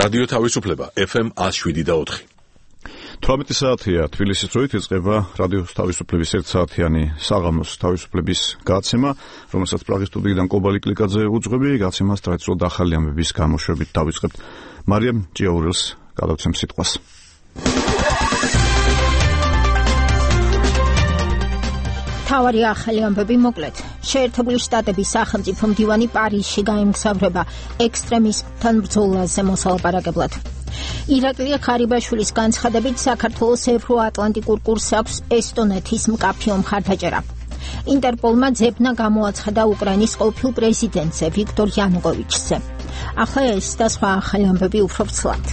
რადიო თავისუფლება FM 107.4. 18 საათია თბილისის დროით იწყება რადიო თავისუფლების 1 საათიანი საღამოს თავისუფლების გაცემა, რომელსაც პრაღის სტუდიიდან კობალი კლიკაძე უძღვები. გაცემას ტრადიციულად ახალი ამბების გამოშვებით დავიწყებთ. მარიამ ჭიაურელს გადავცემ სიტყვას. თავარი ახალი ამბები მოკლედ. შეერთებული შტატების სახელმწიფო მდივანი პარიზში გაემგზავრება ექსტრემისტთან ბრძოლაზე მოსალაპარაკებლად. ირაკლი ღარიბაშვილის განცხადებით საქართველოს ევროატლანტიკურ კურსს აქვს ესტონეთის მკაფიო მხარდაჭერა. ინტერპოლმა ძებნა გამოაცხადა უკრაინის ყოფილ პრეზიდენტზე ვიქტორ იანუკოვიჩზე. ახლა ეს და სხვა ახალი ამბები უფრო ვრცლად.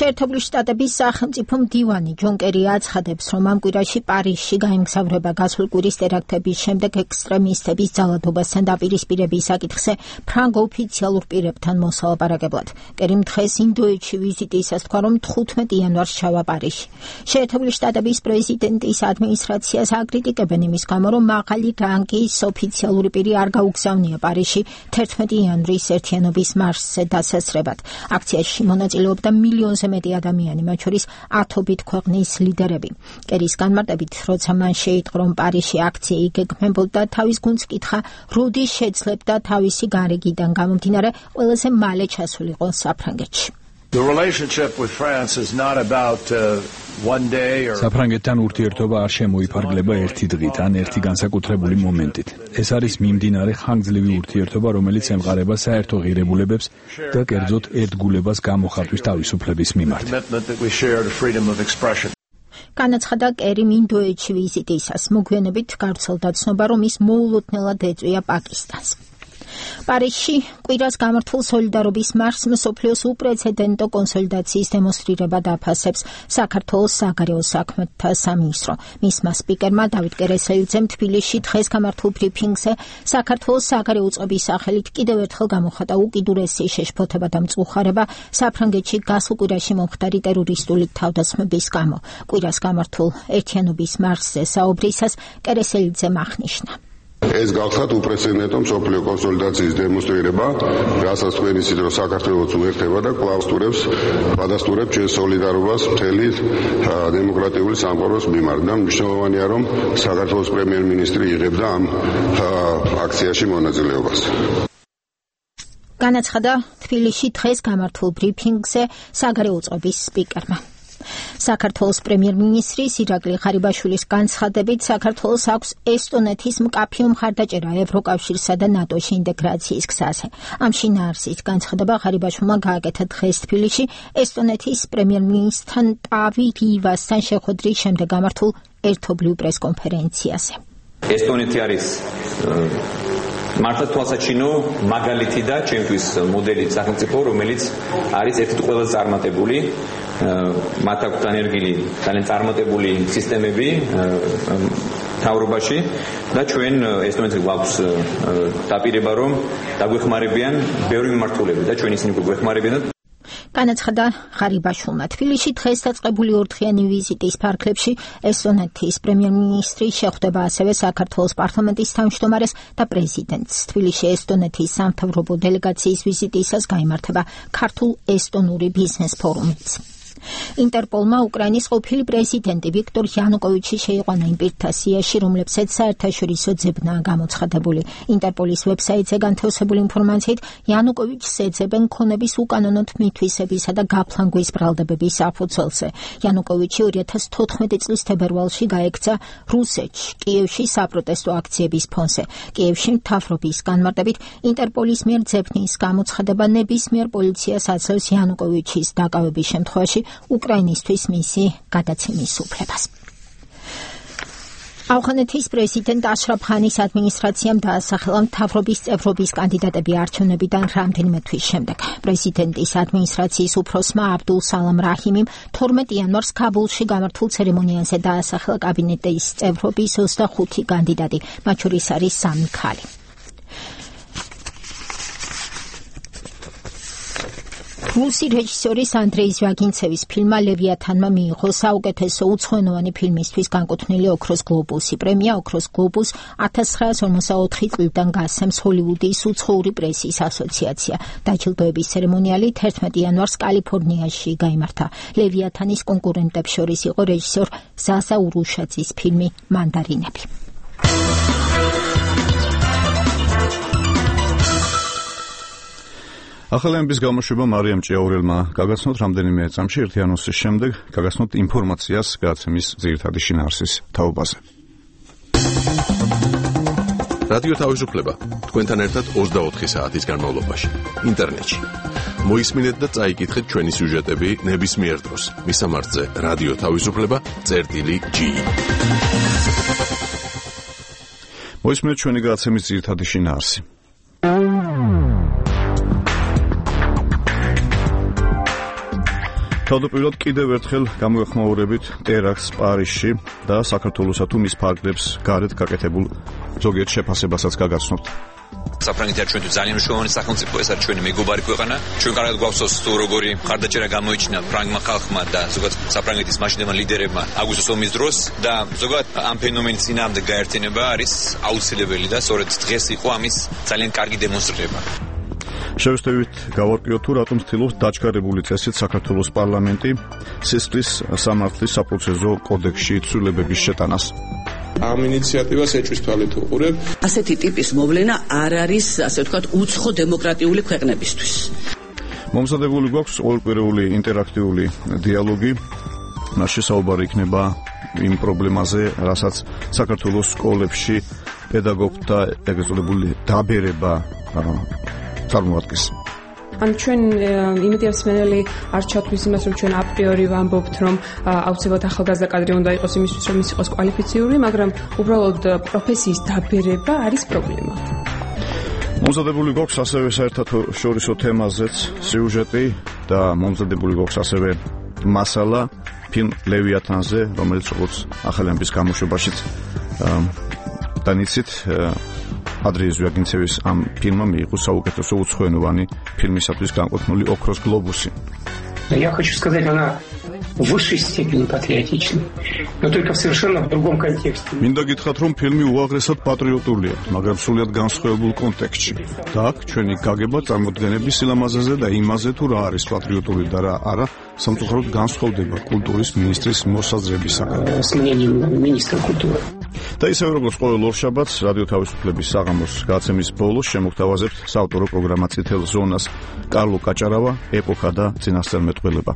შეერთებული შტატების სახელმწიფო მდივანი ჯონ კერი აცხადებს, რომ ამ კვირაში პარიზში გაემგზავრება გასულ კვირის ტერაქტების შემდეგ ექსტრემისტების ძალადობასთან დაპირისპირების საკითხზე ფრანგ ოფიციალურ პირებთან მოსალაპარაკებლად. კერიმ დღეს ინდოეთში ვიზიტისას თქვა, რომ 15 იანვარს ჩავა პარიზში. შეერთებული შტატების პრეზიდენტის ადმინისტრაციას აკრიტიკებენ იმის გამო, რომ მაღალი რანგის ოფიციალური პირი არ გაუგზავნია პარიზში 11 იანვრის ერთიანობის მარშზე დასასრებად. აქციაში მონაწილეობდა მილიონზე მეტი ადამიანი, მათ შორის ათობით ქვეყნის ლიდერები. კერის განმარტებით, როცა მან შეიტყო, რომ პარიზში აქცია იგეგმებოდა, თავის გუნდს კითხა, როდის შეძლებდა თავისი გარიგიდან გამომდინარე ყველაზე მალე ჩასულიყო საფრანგეთში. საფრანგეთთან ურთიერთობა არ შემოიფარგლება ერთი დღით ან ერთი განსაკუთრებული მომენტით. ეს არის მიმდინარე ხანგრძლივი ურთიერთობა, რომელიც ემყარება საერთო ღირებულებებს და კერძოდ ერთგულებას გამოხატვის თავისუფლების მიმართ. განაცხადა კერიმ ინდოეთში ვიზიტისას. მოგვიანებით გავრცელდა ცნობა, რომ ის მოულოდნელად ეწვია პაკისტანს. პარიზში კვირას გამართულ სოლიდარობის მარშს მსოფლიოს უპრეცედენტო კონსოლიდაციის დემონსტრირება დაფასებს საქართველოს საგარეო საქმეთა სამინისტრო. მისმა სპიკერმა დავით კერესელიძემ თბილისში დღეს გამართულ ბრიფინგზე საქართველოს საგარეო უწყების სახელით კიდევ ერთხელ გამოხატა უკიდურესი შეშფოთება და მწუხარება საფრანგეთში გასულ კვირაში მომხდარი ტერორისტული თავდასხმების გამო. კვირას გამართულ ერთიანობის მარშზე საუბრისას კერესელიძემ აღნიშნა. ეს გახსათ უპრეცედენტო მსოფლიო კონსოლიდაციის დემონსტრირება, რასაც თქვენ იცით, რომ საქართველოს უერთდება და კვლავ გადასტურებს ჩვენ სოლიდარობას მთელი დემოკრატიული სამყაროს მიმართ. და მნიშვნელოვანია, რომ საქართველოს პრემიერ-მინისტრი იღებდა ამ აქციაში მონაწილეობას. განაცხადა თბილისში დღეს გამართულ ბრიფინგზე საგარეო უწყების სპიკერმა. საქართველოს პრემიერ-მინისტრის ირაკლი ღარიბაშვილის განცხადებით, საქართველოს აქვს ესტონეთის მკაფიო მხარდაჭერა ევროკავშირსა და ნატოში ინტეგრაციის გზაზე. ამ შინაარსის განცხადება ღარიბაშვილმა გააკეთა დღეს თბილისში ესტონეთის პრემიერ-მინისტრთან ტავი რივასთან შეხვედრის შემდეგ გამართულ ერთობლივ პრესკონფერენციაზე. ესტონეთი არის მართლა თვალსაჩინო მაგალითი და ჩემთვის მოდელი სახელმწიფო, რომელიც არის ერთ-ერთი ყველაზე წარმატებული, მათ აქვს დანერგილი ძალიან წარმატებული სისტემები მთავრობაში და ჩვენ ესტონეთს გვაქვს დაპირება, რომ დაგვეხმარებიან ბევრი მიმართულებით და ჩვენ ისინი გვეხმარებიან. განაცხადა ღარიბაშვილმა. თბილისში დღეს დაწყებული ორდღიანი ვიზიტის ფარგლებში ესტონეთის პრემიერ-მინისტრი შეხვდება ასევე საქართველოს პარლამენტის თავმჯდომარეს და პრეზიდენტს. თბილისში ესტონეთის სამთავრობო დელეგაციის ვიზიტისას გაიმართება ქართულ-ესტონური ბიზნეს ფორუმიც. ინტერპოლმა უკრაინის ყოფილი პრეზიდენტი ვიქტორ იანუკოვიჩი შეიყვანა იმ პირთა სიაში, რომლებსაც საერთაშორისო ძებნა გამოცხადებული. ინტერპოლის ვებსაიტზე განთავსებული ინფორმაციით, იანუკოვიჩს ეძებენ ქონების უკანონო თვითმფრინავისა და გაფლანგვის ბრალდებების საფუძველზე. იანუკოვიჩი 2014 წლის თებერვალში გაექცა რუსეთში, კიევში საპროტესტო აქციების ფონზე. კიევში მთავრობის განმარტებით, ინტერპოლის მიერ ძებნის გამოცხადება ნებისმიერ პოლიციას აძლევს იანუკოვიჩის დაკავების შემთხვევაში უკრაინისთვის მისი გადაცემის უფლებას. ავღანეთის პრეზიდენტ აშრაფ ღანის ადმინისტრაციამ დაასახელა მთავრობის წევრობის კანდიდატები არჩევნებიდან რამდენიმე თვის შემდეგ. პრეზიდენტის ადმინისტრაციის უფროსმა აბდულ სალამ რაჰიმიმ 12 იანვარს ქაბულში გამართულ ცერემონიაზე დაასახელა კაბინეტის წევრობის 25 კანდიდატი, მათ შორის არის 3 ქალი. რუსი რეჟისორის ანდრეი ჟვაგინცევის ფილმმა ლევიათანმა მიიღო საუკეთესო უცხოენოვანი ფილმისთვის განკუთვნილი ოქროს გლობუსი. პრემია ოქროს გლობუს 1954 წლიდან გასცემს ჰოლივუდის უცხოური პრესის ასოციაცია. დაჯილდოების ცერემონიალი 11 იანვარს კალიფორნიაში გაიმართა. ლევიათანის კონკურენტებს შორის იყო რეჟისორ ზაზა ურუშაძის ფილმი მანდარინები. ახალი ამბის გამოშვება მარიამ ჭიაურელმა გაგაცნოთ რამდენიმე წამში ერთი ანონსის შემდეგ გაგაცნოთ ინფორმაციას გადაცემის ძირითადი შინაარსის თაობაზე. რადიო თავისუფლება თქვენთან ერთად 24 საათის განმავლობაში ინტერნეტში. მოისმინეთ და წაიკითხეთ ჩვენი სიუჟეტები ნებისმიერ დროს. მისამართზე რადიო თავისუფლება.gi. მოისმინეთ ჩვენი გადაცემის ძირითადი შინაარსი. თავდაპირველად კიდევ ერთხელ გამოეხმაურებით ტერაქტს პარიზში და საქართველოსა თუ მის ფარგლებს გარეთ გაკეთებულ ზოგიერთ შეფასებასაც გაგაცნობთ. საფრანგეთი ჩვენთვის ძალიან მნიშვნელოვანი სახელმწიფო, ეს არის ჩვენი მეგობარი ქვეყანა. ჩვენ კარგად გვახსოვს თუ როგორი მხარდაჭერა გამოიჩინა ფრანგმა ხალხმა და ზოგადად საფრანგეთის მაშინდელმა ლიდერებმა აგვისტოს ომის დროს და ზოგადად ამ ფენომენის წინააღმდეგ გაერთიანება არის აუცილებელი და სწორედ დღეს იყო ამის ძალიან კარგი დემონსტრირება. შევეცდებით გავარკვიოთ თუ რატომ ცდილობს დაჩქარებული წესით საქართველოს პარლამენტი სისხლის სამართლის საპროცესო კოდექსში ცვლილებების შეტანას. ამ ინიციატივას ეჭვის თვალით უყურებ. ასეთი ტიპის მოვლენა არ არის, ასე ვთქვათ, უცხო დემოკრატიული ქვეყნებისთვის. მომზადებული გვაქვს ყოველკვირეული ინტერაქტიული დიალოგი. მასში საუბარი იქნება იმ პრობლემაზე, რასაც საქართველოს სკოლებში პედაგოგთა ეგრეთ წოდებული დაბერება წარმოადგენს. ან ჩვენ იმედი მსმენელი არ ჩათვლის იმას, რომ ჩვენ აპრიორი ვამბობთ, რომ აუცილებლად ახალგაზრდა კადრი უნდა იყოს იმისთვის, რომ ის იყოს კვალიფიციური, მაგრამ უბრალოდ პროფესიის დაბერება არის პრობლემა. მომზადებული გვაქვს ასევე საერთაშორისო თემაზეც სიუჟეტი და მომზადებული გვაქვს ასევე მასალა ფილმ ლევიათანზე, რომელიც როგორც ახალი ამბის გამოშვებაშიც დანიშნით ანდრეი ჟვაგინცევის ამ фильмом მიიღო საუკეთესო უცხოენოვანი ფილმისათვის განკუთვნილი ოქროს გლობუსი. Я хочу сказать, она в высшей степени патриотична, но только в совершенно другом контексте. მინდა გითხრათ, რომ ფილმი უაღრესად პატრიოტულია, მაგრამ სრულიად განსხვავებულ კონტექსტში. და აქ ჩვენი გაგება წარმოდგენების სილამაზეზე და იმაზე, თუ რა არის პატრიოტული და რა არა, სამწუხაროდ განსხვავდება კულტურის მინისტრის მოსაზრებისაგან. С мнением министра культуры. და ისევე როგორც ყოველ ორშაბათს რადიო თავისუფლების საღამოს გადაცემის ბოლოს შემოგთავაზებთ საავტორო პროგრამა წითელ ზონას კარლო კაჭარავა, ეპოქა და წინასწარმეტყველება.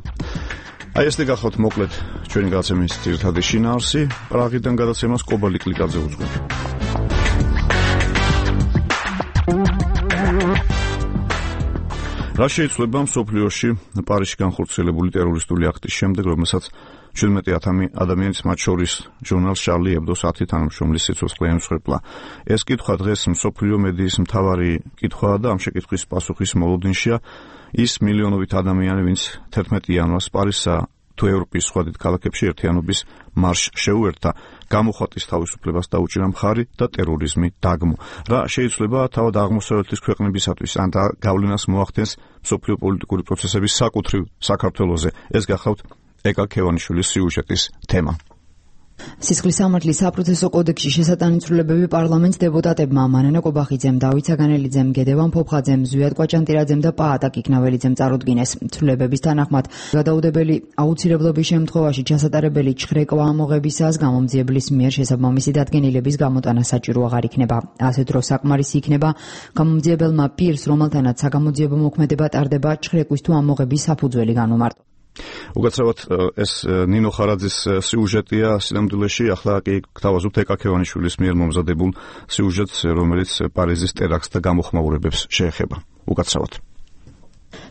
აი ეს გახავთ მოკლედ ჩვენი გადაცემის ძირითადი შინაარსი. პრაღიდან გადაცემას კობალი კლიკაძე უძღვება. რა შეიძლება მსოფლიოში პარიზში განხორციელებული ტერორისტული აქტის შემდეგ, რომელსაც 17,000 ადამიანის მათ შორის ჟურნალ შარლი ებდოს 10 თანამშრომლის სიცოცხლე ემსხვერპლა. ეს კითხვა დღეს მსოფლიო მედიის მთავარი კითხვაა და ამ შეკითხვის პასუხის მოლოდინშია ის მილიონობით ადამიანი, ვინც 11 იანვარს პარიზსა თუ ევროპის სხვა დიდ ქალაქებში ერთიანობის მარშს შეუერთდა, გამოხატის თავისუფლებას დაუჭირა მხარი და ტერორიზმი დაგმო. რა შეიძლება თავად აღმოსავლეთის ქვეყნებისათვის ან გავლენას მოახდენს მსოფლიო პოლიტიკური პროცესების საკუთრივ საქართველოზე. ეს გახავთ ეკა ქევანიშვილის სიუჟეტის თემა. სისხლის სამართლის საპროცესო კოდექსში შესატანი ცვლილებები პარლამენტს დეპუტატებმა მანანა კობახიძემ, დავით საგანელიძემ, გედევან ფოფხაძემ, ზვიად კვაჭანტირაძემ და პაატა კიქნაველიძემ წარუდგინეს. ცვლილებების თანახმად გადაუდებელი აუცილებლობის შემთხვევაში ჩასატარებელი ჩხრეკვა ამოღებისას გამომძიებლის მიერ შესაბამისი დადგენილების გამოტანა საჭირო აღარ იქნება. ასე დროს საკმარისი იქნება გამომძიებელმა პირს, რომელთანაც საგამოძიებო მოქმედება ტარდება, ჩხრეკვის თუ ამოღების საფუძველი განუმარტო. უკაცრავად ეს ნინო ხარაძის სიუჟეტია სინამდვილეში, ახლა კი გთავაზობთ ეკა ქევანიშვილის მიერ მომზადებულ სიუჟეტს, რომელიც პარიზის ტერაქტს და გამოხმაურებებს შეეხება. უკაცრავად.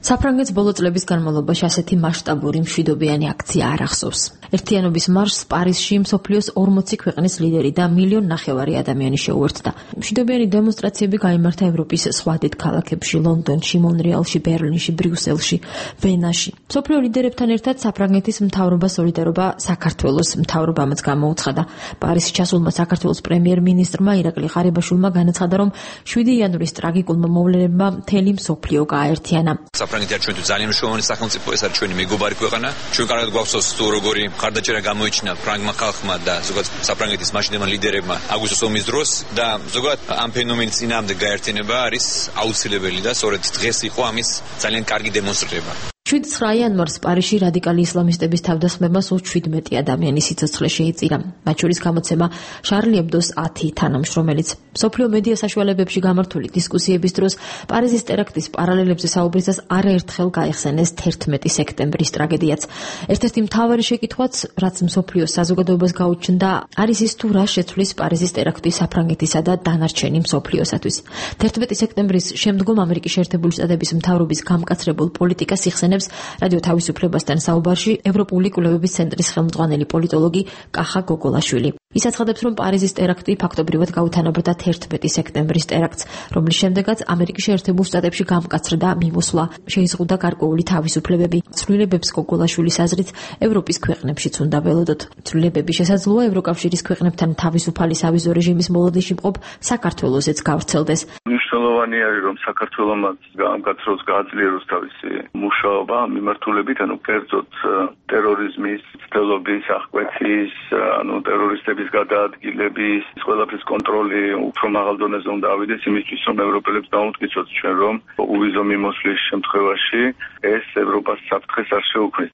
საფრანგეთს ბოლო წლების განმავლობაში ასეთი მასშტაბური მშვიდობიანი აქცია არ ახსოვს. ერთიანობის მარშს პარიზში მსოფლიოს 40 ქვეყნის ლიდერი და 1,5 მილიონი ადამიანი შეუერთდა. მშვიდობიანი დემონსტრაციები გაიმართა ევროპის სხვა დიდ ქალაქებში, ლონდონში, მონრეალში, ბერლინში, ბრიუსელში, ვენაში. მსოფლიო ლიდერებთან ერთად საფრანგეთის მთავრობა სოლიდარობა საქართველოს მთავრობამაც გამოუცხადა. პარიზში ჩასულმა საქართველოს პრემიერ-მინისტრმა ირაკლი ღარიბაშვილმა განაცხადა, რომ 7 იანვრის ტრაგიკულმა მოვლენებმა მთელი მსოფლიო გააერთიანა. საფრანგეთი არის ჩვენთვის ძალიან მნიშვნელოვანი სახელმწიფო, ეს არის ჩვენი მეგობარი ქვეყანა. ჩვენ კარგად გვახსოვს თუ როგორი მხარდაჭერა გამოიჩინა ფრანგმა ხალხმა და ზოგადად საფრანგეთის მაშინდელმა ლიდერებმა აგვისტოს ომის დროს და ზოგადად ამ ფენომენის წინააღმდეგ გაერთიანება არის აუცილებელი და სწორედ დღეს იყო ამის ძალიან კარგი დემონსტრირება. 7 იანვარს პარიზში რადიკალი ისლამისტების თავდასხმებმა სულ 17 ადამიანის სიცოცხლე შეიწირა. მათ შორის გამოცემა შარლი ებდოს 10 თანამშრომელიც. მსოფლიო მედია საშუალებებში გამართული დისკუსიების დროს პარიზის ტერაქტის პარალელებზე საუბრისას არაერთხელ გაიხსენეს 11 სექტემბრის ტრაგედიაც. ერთ-ერთი მთავარი შეკითხვაც, რაც მსოფლიოს საზოგადოებას გაუჩნდა, არის ის თუ რა შეცვლის პარიზის ტერაქტი საფრანგეთისა და დანარჩენი მსოფლიოსათვის. 11 სექტემბრის შემდგომ ამერიკის შეერთებული შტატების მთავრობის გამკაცრებულ პოლიტიკას იხსენებს რადიო თავისუფლებასთან საუბარში ევროპული კვლევების ცენტრის ხელმძღვანელი პოლიტოლოგი კახა გოგოლაშვილი. ის აცხადებს, რომ პარიზის ტერაქტი ფაქტობრივად გაუთანაბრდა 11 სექტემბრის ტერაქტს, რომლის შემდეგაც ამერიკის შეერთებულ შტატებში გამკაცრდა მიმოსვლა, შეიზღუდა გარკვეული თავისუფლებები. ცვლილებებს გოგოლაშვილის აზრით ევროპის ქვეყნებშიც უნდა ველოდოთ. ცვლილებები შესაძლოა ევროკავშირის ქვეყნებთან თავისუფალი სავიზო რეჟიმის მოლოდინში მყოფ საქართველოსეც გავრცელდეს. მნიშვნელოვანი არის, რომ საქართველოს გამკაცროს გააძლიეროს თავისი მუშაობა მიმართულებით, კერძოდ ტერორიზმის ცდელობის აღკვეთის, ტერორისტების გადაადგილების, ყველაფრის კონტროლი უფრო მაღალ დონეზე უნდა ავიდეს იმისთვის, რომ ევროპელებს დაუმტკიცოთ ჩვენ, რომ უვიზო მიმოსვლის შემთხვევაში ეს ევროპას საფრთხეს არ შეუქმნის.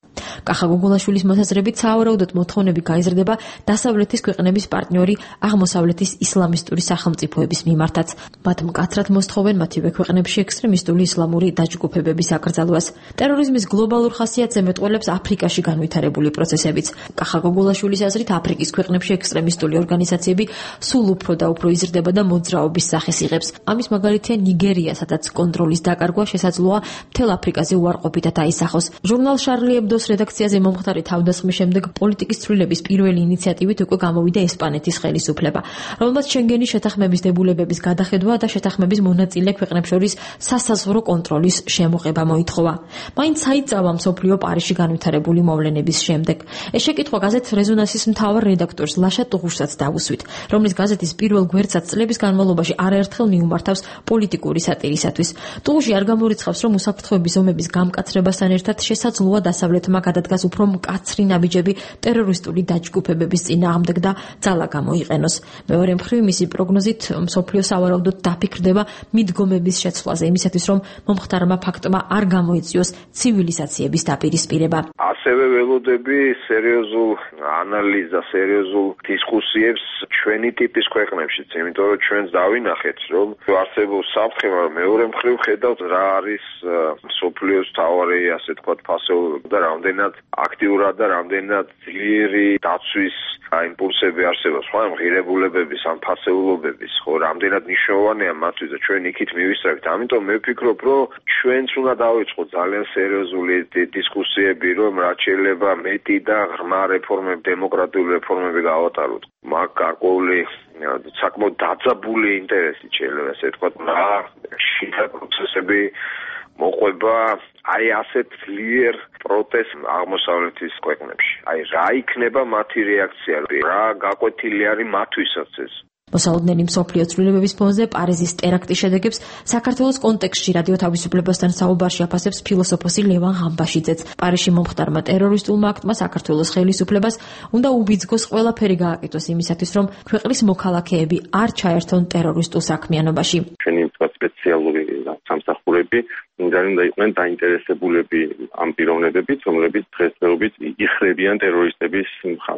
კახა გოგოლაშვილის მოსაზრებით სავარაუდოდ მოთხოვნები გაიზრდება დასავლეთის ქვეყნების პარტნიორი აღმოსავლეთის ისლამისტური სახელმწიფოების მიმართაც. მათ მკაცრად მოსთხოვენ მათივე ქვეყნებში ექსტრემისტული ისლამური დაჯგუფებების აკრძალვას. ტერორიზმის გლობალურ ხასიათს ემეტყველებს აფრიკაში განვითარებული პროცესებიც. კახა გოგოლაშვილის აზრით, აფრიკის ქვეყნებში ექსტრემისტული ორგანიზაციები სულ უფრო და უფრო იზრდება და მოძრაობის სახეს იღებს. ამის მაგალითია ნიგერია, სადაც კონტროლის დაკარგვა შესაძლოა მთელ აფრიკაზე უარყოფითად აისახოს. ჟურნალ შარლი ებდოს რედაქციაზე მომხდარი თავდასხმის შემდეგ პოლიტიკის ცვლილებების პირველი ინიციატივით უკვე გამოვიდა ესპანეთის ხელისუფლება, რომელმაც შენგენის შეთანხმების დებულებების გადახედვა და შეთანხმების მონაწილე ქვეყნებს შორის სასაზღვრო კონტროლის შემოღება მოითხოვა. მაინც საიწავა მსოფლიო პარიზში განვითარებული მოვლენების შემდეგ. ეს შეკითხვა გაზეთ რეზონანსის მთავარ რედაქტორს ლაშა ტუღუშსაც დაუსვით, რომლის გაზეთის პირველ გვერდსაც წლების განმავლობაში არაერთხელ მიუმართავს პოლიტიკური სატირისათვის. ტუღუში არ გამორიცხავს, რომ უსაფრთხოების ომების გამკაცრებასთან ერთად შესაძლოა დასავლეთმა გადადგას უფრო მკაცრი ნაბიჯები ტერორისტული დაჯგუფებების წინააღმდეგ და ძალა გამოიყენოს. მეორე მხრივ, მისი პროგნოზით მსოფლიო სავარაუდოდ დაფიქრდება მიდგომების შეცვლაზე, იმისათვის, რომ მომხდარმა ფაქტმა არ გამოიწვიოს ცივილიზაციების დაპირისპირება. ასევე ველოდები სერიოზულ ანალიზს და სერიოზულ დისკუსიებს ჩვენი ტიპის ქვეყნებშიც, იმიტომ რომ ჩვენს დავინახეთ, რომ არსებობს საფრთხე, მაგრამ მეორე მხრივ ხედავთ რა არის მსოფლიოს თავარი, ასე თქვათ, ფასეულობა და რამდენად აქტიურად და რამდენად ძლიერი დაცვის იმპულსები არსებობს, ხო, ღირებულებების, ამ ფასეულობების, ხო, რამდენად მნიშვნელოვანია მათთვის და ჩვენ იქით მივისწრებით. ამიტომ მე ვფიქრობ, რომ ჩვენც უნდა დავიწყოთ ძალიან სერიოზული დისკუსიები, რომ რაც შეიძლება მეტი და ღრმა რეფორმები, დემოკრატიული რეფორმები გავატაროთ. მაგ გარკვეული საკმაოდ დაძაბული ინტერესი შეიძლება ესე თქვა, რა შიდა პროცესები მოყვება აი ასეთ ძლიერ პროტესტ აღმოსავლეთის ქვეყნებში. აი რა იქნება მათი რეაქცია, რა გაკვეთილი არის მათთვისაც ეს. მოსალოდნელი მსოფლიო ცვლილებების ფონზე პარიზის ტერაქტის შედეგებს საქართველოს კონტექსტში რადიო თავისუფლებასთან საუბარში აფასებს ფილოსოფოსი ლევან ღამბაშიძეც. პარიზში მომხდარმა ტერორისტულმა აქტმა საქართველოს ხელისუფლებას უნდა უბიძგოს ყველაფერი გააკეთოს იმისათვის, რომ ქვეყნის მოქალაქეები არ ჩაერთონ ტერორისტულ საქმიანობაში. ჩვენი სპეციალური სამსახურები უნდა იყვნენ დაინტერესებულები ამ პიროვნებებით, რომლებიც დღესდღეობით იხრებიან ტერორისტების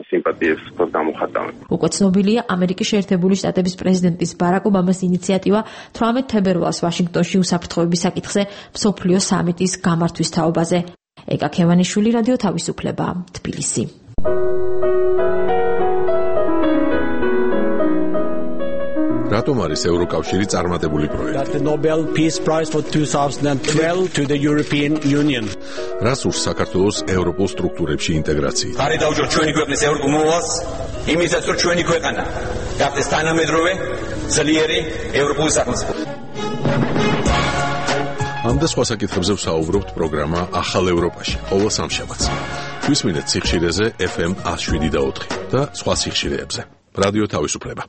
სიმპათიებს გამოხატავენ. უკვე ცნობილია ამერიკის შეერთებული შტატების პრეზიდენტის ბარაკ ობამას ინიციატივა 18 თებერვალს ვაშინგტონში უსაფრთხოების საკითხზე მსოფლიო სამიტის გამართვის თაობაზე. ეკა ქევანიშვილი, რადიო თავისუფლება, თბილისი. რატომ არის ევროკავშირი წარმატებული პროექტი? რას ურს საქართველოს ევროპულ სტრუქტურებში ინტეგრაციით? ხარი დაუჭირთ ჩვენი ქვეყნის ევროპულ მოვალს, იმისაც რომ ჩვენი ქვეყანა გახდეს თანამედროვე, ძლიერი ევროპული სახელმწიფო. ამ და სხვა საკითხებზე ვსაუბრობთ პროგრამა ახალ ევროპაში, ყოველ სამშაბათს. გვისმინეთ სიხშირეზე FM 107.4 და სხვა სიხშირეებზე. რადიო თავისუფლება.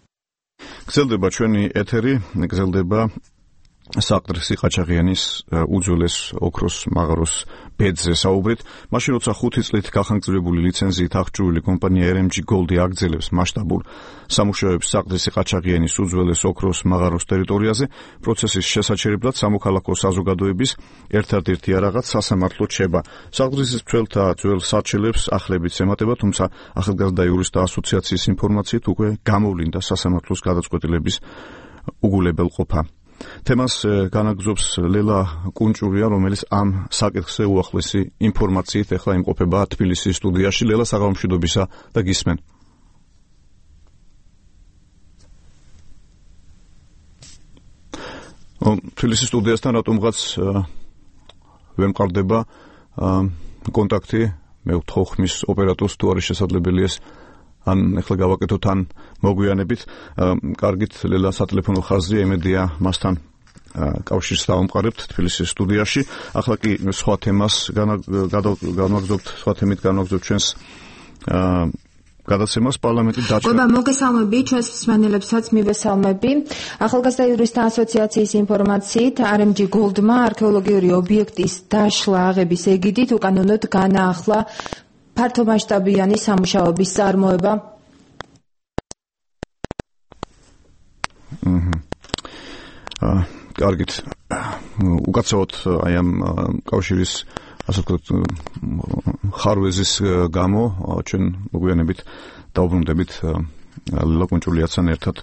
გრძელდება ჩვენი ეთერი, გრძელდება საყდრისი ყაჩაღიანის უძველეს ოქროს მაღაროს ბედზე საუბრით, მაშინ როცა 5 წლით გახანგრძლივებული ლიცენზიით აღჭურვილი კომპანია RMG Gold აგრძელებს მასშტაბურ სამუშაოებს საყდრისი ყაჩაღიანის უძველეს ოქროს მაღაროს ტერიტორიაზე, პროცესის შესაჩერებლად სამოქალაქო საზოგადოების ერთადერთი არაღაც სასამართლო რჩება. საყდრისის მცველთა ძველ საჩელებს ახლებიც ემატება, თუმცა ახალგაზრდა იურისტთა ასოციაციის ინფორმაციით უკვე გამოვლინდა სასამართლოს გადაწყვეტილების უგულებელყოფა. თემას განაგზობს ლელა კუნჭურია, რომელიც ამ საკითხზე უახლესი ინფორმაციით ახლა იმყოფება თბილისის სტუდიაში. ლელა, საღამომშვიდობისა და გისმენ. თბილისის სტუდიასთან რატომღაც ვემყარდება კონტაქტი, მე ვთხოვ ხმის ოპერატორს თუ არის შესაძლებელია ან ახლა გავაკეთოთ ან მოგვიანებით. კარგით, ლელა სატელეფონო ხაზია, იმედია მასთან კავშირს დავამყარებთ თბილისის სტუდიაში. ახლა კი სხვა თემას განვაგრძობთ, სხვა თემით განვაგრძობთ ჩვენს გადაცემას. პარლამენტი დაჭრა. მოგესალმები ჩვენს მსმენელებსაც, მივესალმები. ახალგაზრდა იურისტთა ასოციაციის ინფორმაციით, RMG Gold-მა არქეოლოგიური ობიექტის დაშლა აღების ეგიდით უკანონოდ განაახლა ფართომასშტაბიანი სამუშაოების წარმოება. კარგით. უკაცრავად აი ამ კავშირის ასე ვთქვათ ხარვეზის გამო ჩვენ მოგვიანებით დავბრუნდებით ლელა კუნჭულიასთან ერთად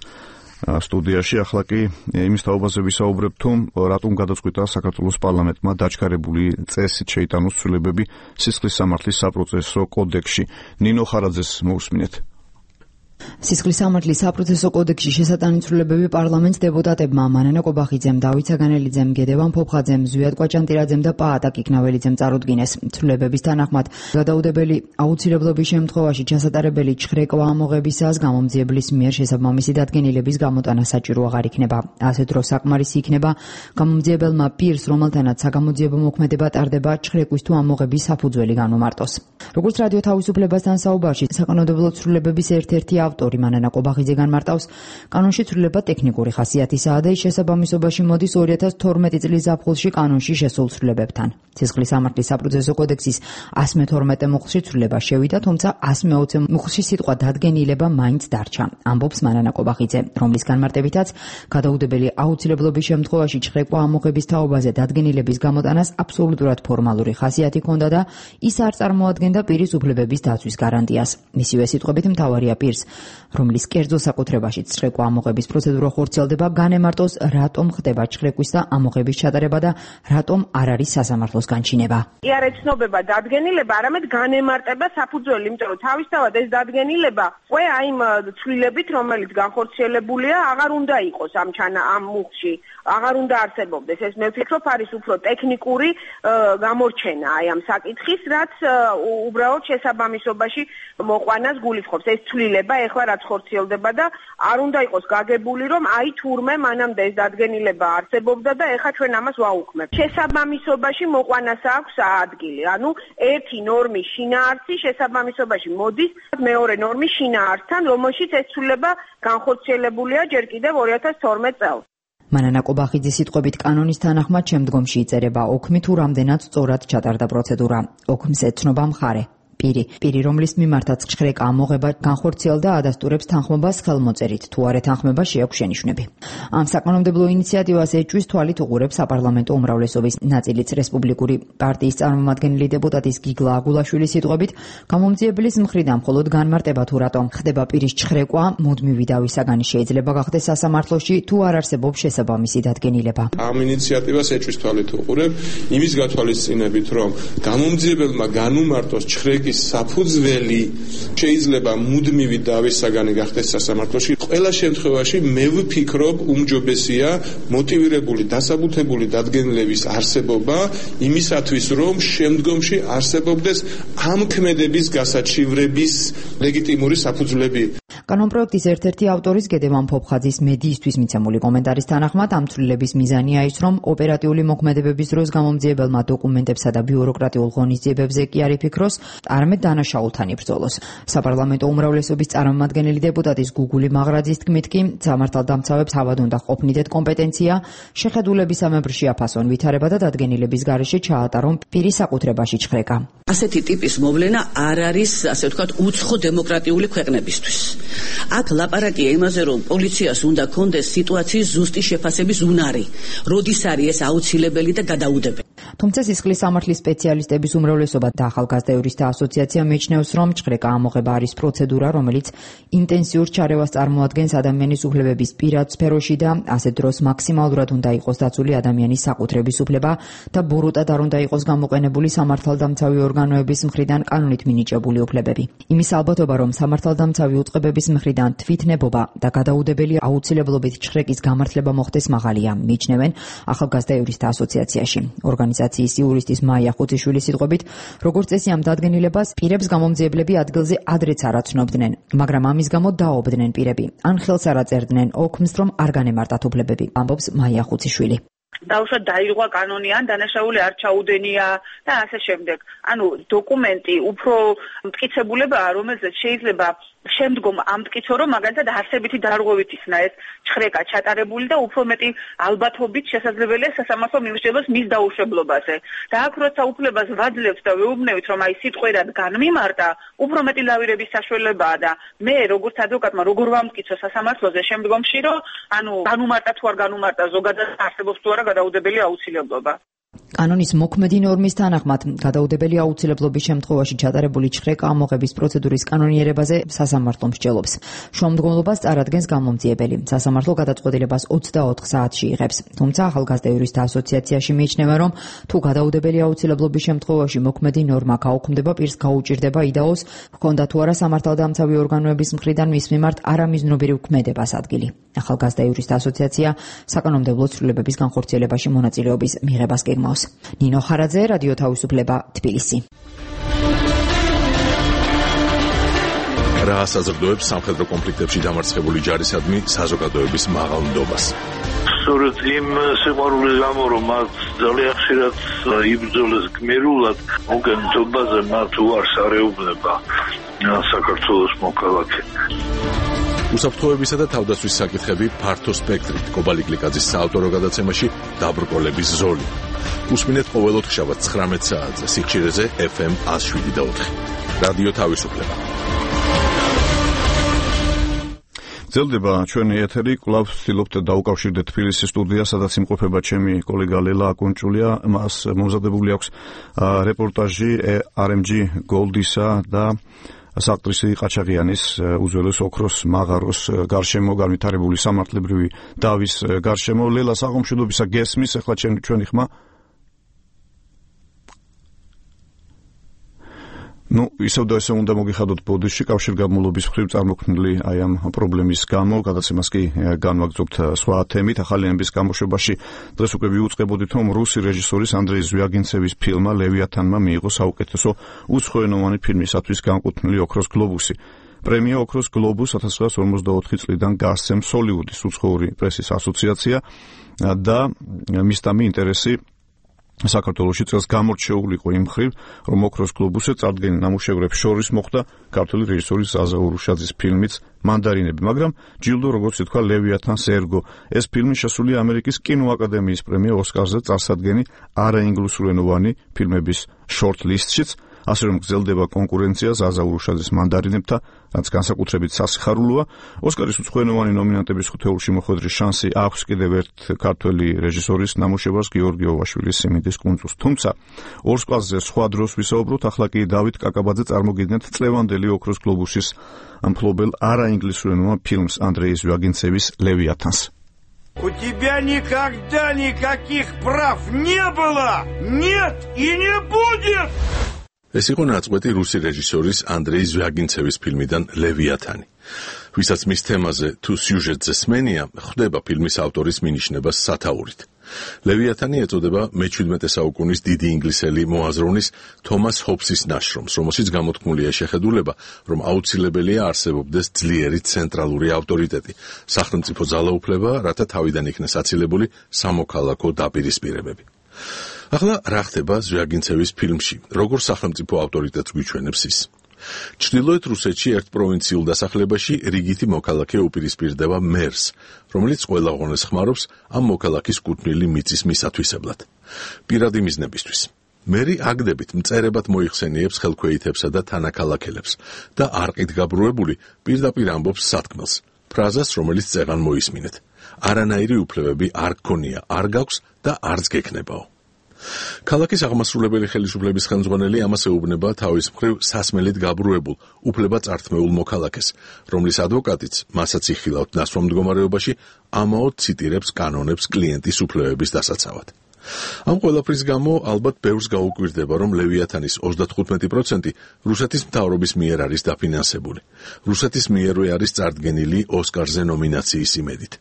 სტუდიაში. ახლა კი იმის თაობაზე ვისაუბრებ, თუ რატომ გადაწყვიტა საქართველოს პარლამენტმა დაჩქარებული წესით შეიტანოს ცვლილებები სისხლის სამართლის საპროცესო კოდექსში. ნინო ხარაძეს მოусმინეთ. სისხლის სამართლის საპროცესო კოდექსში შესატანი ცვლილებები პარლამენტს დეპუტატებმა მანანა კობახიძემ, დავით საგანელიძემ, გედევან ფოფხაძემ, ზვიად კვაჭანტირაძემ და პაატა კიკნაველიძემ წარუდგინეს. ცვლილებების თანახმად გადაუდებელი აუცილებლობის შემთხვევაში ჩასატარებელი ჩხრეკვა ამოღებისას გამომძიებლის მიერ შესაბამისი დადგენილების გამოტანა საჭირო აღარ იქნება. ასეთ დროს საკმარისი იქნება გამომძიებელმა პირს, რომელთანაც საგამოძიებო მოქმედება ტარდება, ჩხრეკვის თუ ამოღების საფუძველი განუმარტოს. როგორც რადიო თავისუფლებასთან საუბარში საკანონმდებლო ცვლილებების ერთ-ერთი ავტორი მანანა კობახიძე განმარტავს, კანონში ცვლილება ტექნიკური ხასიათისაა და ის შესაბამისობაში მოდის 2012 წლის ზაფხულში კანონში შესულ ცვლილებებთან. სისხლის სამართლის საპროცესო კოდექსის 112 მუხლში ცვლილება შევიდა, თუმცა 120 მუხლში სიტყვა დადგენილება მაინც დარჩა. ამბობს მანანა კობახიძე, რომლის განმარტებითაც გადაუდებელი აუცილებლობის შემთხვევაში ჩხრეკვა ამოღების თაობაზე დადგენილების გამოტანას აბსოლუტურად ფორმალური ხასიათი ჰქონდა და ის არ წარმოადგენდა პირის უფლებების დაცვის გარანტიას. მისივე სიტყვებით მთავარია პირს, რომლის კერძო საკუთრებაში ჩხრეკვა ამოღების პროცედურა ხორციელდება, განემარტოს რატომ ხდება ჩხრეკვის და ამოღების ჩატარება და რატომ არ არის სასამართლოს განჩინება. კი არ ეცნობება დადგენილება, არამედ განემარტება საფუძველი, იმიტომ რომ თავისთავად ეს დადგენილება უკვე აი იმ ცვლილებით, რომელიც განხორციელებულია, აღარ უნდა იყოს ამ მუხლში, აღარ უნდა არსებობდეს. ეს მე ვფიქრობ არის უფრო ტექნიკური გამორჩენა აი ამ საკითხის, რაც უბრალოდ შესაბამისობაში მოყვანას გულისხმობს. ეს ცვლილება ეხლა რაც ხორციელდება და არ უნდა იყოს გაგებული, რომ აი თურმე მანამდე ეს დადგენილება არსებობდა და ეხლა ჩვენ ამას ვაუქმებთ. შესაბამისობაში მოყვანას აქვს ადგილი. ანუ ერთი ნორმის შინაარსი შესაბამისობაში მოდის მეორე ნორმის შინაარსთან, რომელშიც ეს ცვლილება განხორციელებულია ჯერ კიდევ 2012 წელს. მანანა კობახიძის სიტყვებით კანონის თანახმად შემდგომში იწერება ოქმი თუ რამდენად სწორად ჩატარდა პროცედურა. ოქმს ეთნობა მხარე. პირი, რომლის მიმართაც ჩხრეკა ამოღება განხორციელდა, ადასტურებს თანხმობას ხელმოწერით, თუ არა თანხმება შეაქვს შენიშვნები. ამ საკანონმდებლო ინიციატივას ეჭვის თვალით უყურებს საპარლამენტო უმრავლესობის ნაწილიც. რესპუბლიკური პარტიის წარმომადგენელი დეპუტატის გიგლა აგულაშვილის სიტყვებით, გამომძიებლის მხრიდან მხოლოდ განმარტება თუ რატომ ხდება პირის ჩხრეკვა, მუდმივი დავის საგანი შეიძლება გახდეს სასამართლოში, თუ არ არსებობს შესაბამისი დადგენილება. ამ ინიციატივას ეჭვის თვალით უყურებ, იმის გათვალისწინებით, რომ გამომძიებელმა განუმარტოს ჩხრეკი საფუძველი შეიძლება მუდმივი დავის საგანი გახდეს სასამართლოში. ყველა შემთხვევაში მე ვფიქრობ უმჯობესია მოტივირებული დასაბუთებული დადგენილების არსებობა იმისათვის, რომ შემდგომში არსებობდეს ამ ქმედების გასაჩივრების ლეგიტიმური საფუძვლები. კანონპროექტის ერთ-ერთი ავტორის გედევან ფოფხაძის მედიისთვის მიცემული კომენტარის თანახმად ამ ცვლილების მიზანია ის, რომ ოპერატიული მოქმედებების დროს გამომძიებელმა დოკუმენტებსა და ბიუროკრატიულ ღონისძიებებზე კი არ იფიქროს, არამედ დანაშაულთან იბრძოლოს. საპარლამენტო უმრავლესობის წარმომადგენელი დეპუტატის გუგული მაღრაძის თქმით კი, სამართალდამცავებს თავად უნდა ყოფნიდეთ კომპეტენცია, შეხედულებისამებრ შეაფასონ ვითარება და დადგენილების გარეშე ჩაატარონ პირის საკუთრებაში ჩხრეკა. ასეთი ტიპის მოვლენა არ არის, ასე ვთქვათ, უცხო დემოკრატიული ქვეყნებისთვის. აქ ლაპარაკია იმაზე, რომ პოლიციას უნდა კონდეს სიტუაციის ზუსტი შეფასების უნარი, როდის არის ეს აუცილებელი და გადაუდებელი. თუმცა სისხლის სამართლის სპეციალისტების უმრავლესობა და ახალგაზრდა იურისტთა ასოციაცია მიიჩნევს, რომ ჩხრეკა ამოღება არის პროცედურა, რომელიც ინტენსიურ ჩარევას წარმოადგენს ადამიანის უფლებების პირად სფეროში და ასეთ დროს მაქსიმალურად უნდა იყოს დაცული ადამიანის საკუთრების უფლება და ბოროტად არ უნდა იყოს გამოყენებული სამართალდამცავი ორგანოების მხრიდან კანონით მინიჭებული უფლებები. იმის ალბათობა, რომ სამართალდამცავი უწყებების მხრიდან თვითნებობა და გადაუდებელი აუცილებლობით ჩხრეკის გამართლება მოხდეს მაღალია, მიიჩნევენ ახალგაზრდა იურისტთა ასოციაციაში. ორგანიზაციის იურისტის მაია ხუციშვილის სიტყვებით, როგორც წესი ამ დადგენილებას პირებს გამომძიებლები ადგილზე ადრეც არ აცნობდნენ, მაგრამ ამის გამო დაობდნენ პირები. ან ხელს არ აწერდნენ ოქმს, რომ არ განემარტათ უფლებები, ამბობს მაია ხუციშვილი. დაუშვათ დაირღვა კანონი ან დანაშაული არ ჩაუდენია და ასე შემდეგ. ანუ დოკუმენტი უფრო მტკიცებულებაა, რომელზეც შეიძლება შემდგომ ამტკიცო, რომ მაგალითად არსებითი დარღვევით იქნა ეს ჩხრეკა ჩატარებული და უფრო მეტი ალბათობით შესაძლებელია სასამართლო მიმსჯელოს მის დაუშვებლობაზე. და აქ როცა უფლებას ვაძლევთ და ვეუბნევით, რომ აი სიტყვერად განმიმარტა, უფრო მეტი ლავირების საშუალებაა და მე როგორც ადვოკატმა როგორ ვამტკიცო სასამართლოზე შემდგომში, რომ ანუ განუმარტა თუ არ განუმარტა ზოგადად არსებობს თუ არა გადაუდებელი აუცილებლობა. კანონის მოქმედი ნორმის თანახმად, გადაუდებელი აუცილებლობის შემთხვევაში ჩატარებული ჩხრეკა ამოღების პროცედურის კანონიერებაზე სასამართლო მსჯელობს. შუამდგომლობას წარადგენს გამომძიებელი. სასამართლო გადაწყვეტილებას 24 საათში იღებს. თუმცა ახალგაზრდა იურისტთა ასოციაციაში მიიჩნევა, რომ თუ გადაუდებელი აუცილებლობის შემთხვევაში მოქმედი ნორმა გაუქმდება, პირს გაუჭირდება იდაოს, ჰქონდა თუ არა სამართალდამცავი ორგანოების მხრიდან მის მიმართ არამიზნობრივი ქმედებას ადგილი. ახალგაზრდა იურისტთა ასოციაცია საკანონმდებლო ცვლილებების განხორციელებაში მონაწილეობის მიღებას გეგმავს. ნინო ხარაძე, რადიო თავისუფლება, თბილისი. რა საზრდოებს სამხედრო კონფლიქტებში დამარცხებული ჯარისადმი საზოგადოების მაღალ ნდობას? სწორედ იმ სიყვარულის გამო, რომ მათ ძალიან ხშირად იბრძოლეს გმირულად, მოგენთობაზე მათ უარს არ ეუბნება საქართველოს მოქალაქე. უსაფრთხოებისა და თავდაცვის საკითხები ფართო სპექტრით. კობალი გლიკაძის საავტორო გადაცემაში დაბრკოლების ზოლი. უსმინეთ ყოველ ოთხშაბათ 19 საათზე სიხშირეზე FM 107.4. რადიო თავისუფლება. ძელდება ჩვენი ეთერი, კვლავ ვცდილობთ დაუკავშირდეთ თბილისის სტუდია, სადაც იმყოფება ჩემი კოლეგა ლელა აკუნჭულია. მას მომზადებული აქვს რეპორტაჟი RMG Gold-ისა და საკტრისი ყაჩაღიანის უძველეს ოქროს მაღაროს გარშემო განვითარებული სამართლებრივი დავის გარშემო. ლელა, საღამოშიდობისა გესმის, ახლა ჩვენი ხმა. ისევ და ესე უნდა მოგიხადოთ ბოდიში კავშირგაბმულობის მხრივ წარმოქმნილი აი ამ პრობლემის გამო, გადაცემას კი განვაგრძობთ სხვა თემით. ახალი ამბის გამოშვებაში დღეს უკვე ვიუწყებოდით, რომ რუსი რეჟისორის ანდრეი ზვიაგინცევის ფილმმა ლევიათანმა მიიღო საუკეთესო უცხოენოვანი ფილმისათვის განკუთვნილი ოქროს გლობუსი. პრემია ოქროს გლობუს 1954 წლიდან გასცემს ჰოლივუდის უცხოური პრესის ასოციაცია და მისდამი ინტერესი საქართველოში წელს გამორჩეულიყო იმ მხრივ, რომ ოქროს გლობუსზე წარდგენილ ნამუშევრებს შორის მოხვდა ქართული რეჟისორის ზაზა ურუშაძის ფილმიც მანდარინები, მაგრამ ჯილდო, როგორც ითქვა, ლევიათანს ერგო. ეს ფილმი შესულია ამერიკის კინოაკადემიის პრემია ოსკარზე წარსადგენი არაინგლისურენოვანი ფილმების შორტ-ლისტშიც, ასე რომ გრძელდება კონკურენცია ზაზა ურუშაძის მანდარინებთან, რაც განსაკუთრებით სასიხარულოა. ოსკარის უცხოენოვანი ნომინანტების ხუთეულში მოხვედრის შანსი აქვს კიდევ ერთ ქართველი რეჟისორის ნამუშევრს, გიორგი ოვაშვილის სიმინდის კუნძულს. თუმცა ორ სკვალზე სხვა დროს ვისაუბროთ, ახლა კი დავით კაკაბაძე წარმოგიდგენთ წლევანდელი ოქროს გლობუსის მფლობელ არაინგლისურენოვან ფილმს ანდრეი ზვიაგინცევის ლევიათანს. У тебя никогда никаких прав не было, нет и не будет! ეს იყო ნაწყვეტი რუსი რეჟისორის ანდრეი ზვიაგინცევის ფილმიდან ლევიათანი. ვისაც მის თემაზე თუ სიუჟეტზე სმენია, ხვდება ფილმის ავტორის მინიშნებას სათაურით. ლევიათანი ეწოდება მე-17 საუკუნის დიდი ინგლისელი მოაზროვნის თომას ჰობსის ნაშრომს, რომელშიც გამოთქმულია შეხედულება, რომ აუცილებელია არსებობდეს ძლიერი ცენტრალური ავტორიტეტი, სახელმწიფო ძალაუფლება, რათა თავიდან იქნეს აცილებული სამოქალაქო დაპირისპირებები. ახლა რა ხდება ზვიაგინცევის ფილმში, როგორ სახელმწიფო ავტორიტეტს გვიჩვენებს ის? ჩრდილოეთ რუსეთში ერთ პროვინციულ დასახლებაში რიგითი მოქალაქე უპირისპირდება მერს, რომელიც ყველა ღონეს ხმარობს ამ მოქალაქის კუთვნილი მიწის მისათვისებლად. პირადი მიზნებისთვის. მერი აგდებით მწერებად მოიხსენიებს ხელქვეითებსა და თანაქალაქელებს და არყით გაბრუებული პირდაპირ ამბობს სათქმელს, ფრაზას, რომელიც წეღან მოისმინეთ. არანაირი უფლებები არ გქონია, არ გაქვს და არც გექნებაო. ქალაქის აღმასრულებელი ხელისუფლების ხელმძღვანელი ამას ეუბნება თავის მხრივ სასმელით გაბრუებულ, უფლებაწართმეულ მოქალაქეს, რომლის ადვოკატიც, მასაც იხილავთ ნასვამ მდგომარეობაში, ამაოდ ციტირებს კანონებს კლიენტის უფლებების დასაცავად. ამ ყველაფრის გამო ალბათ ბევრს გაუკვირდება, რომ ლევიათანის 35% რუსეთის მთავრობის მიერ არის დაფინანსებული. რუსეთის მიერვე არის წარდგენილი ოსკარზე ნომინაციის იმედით.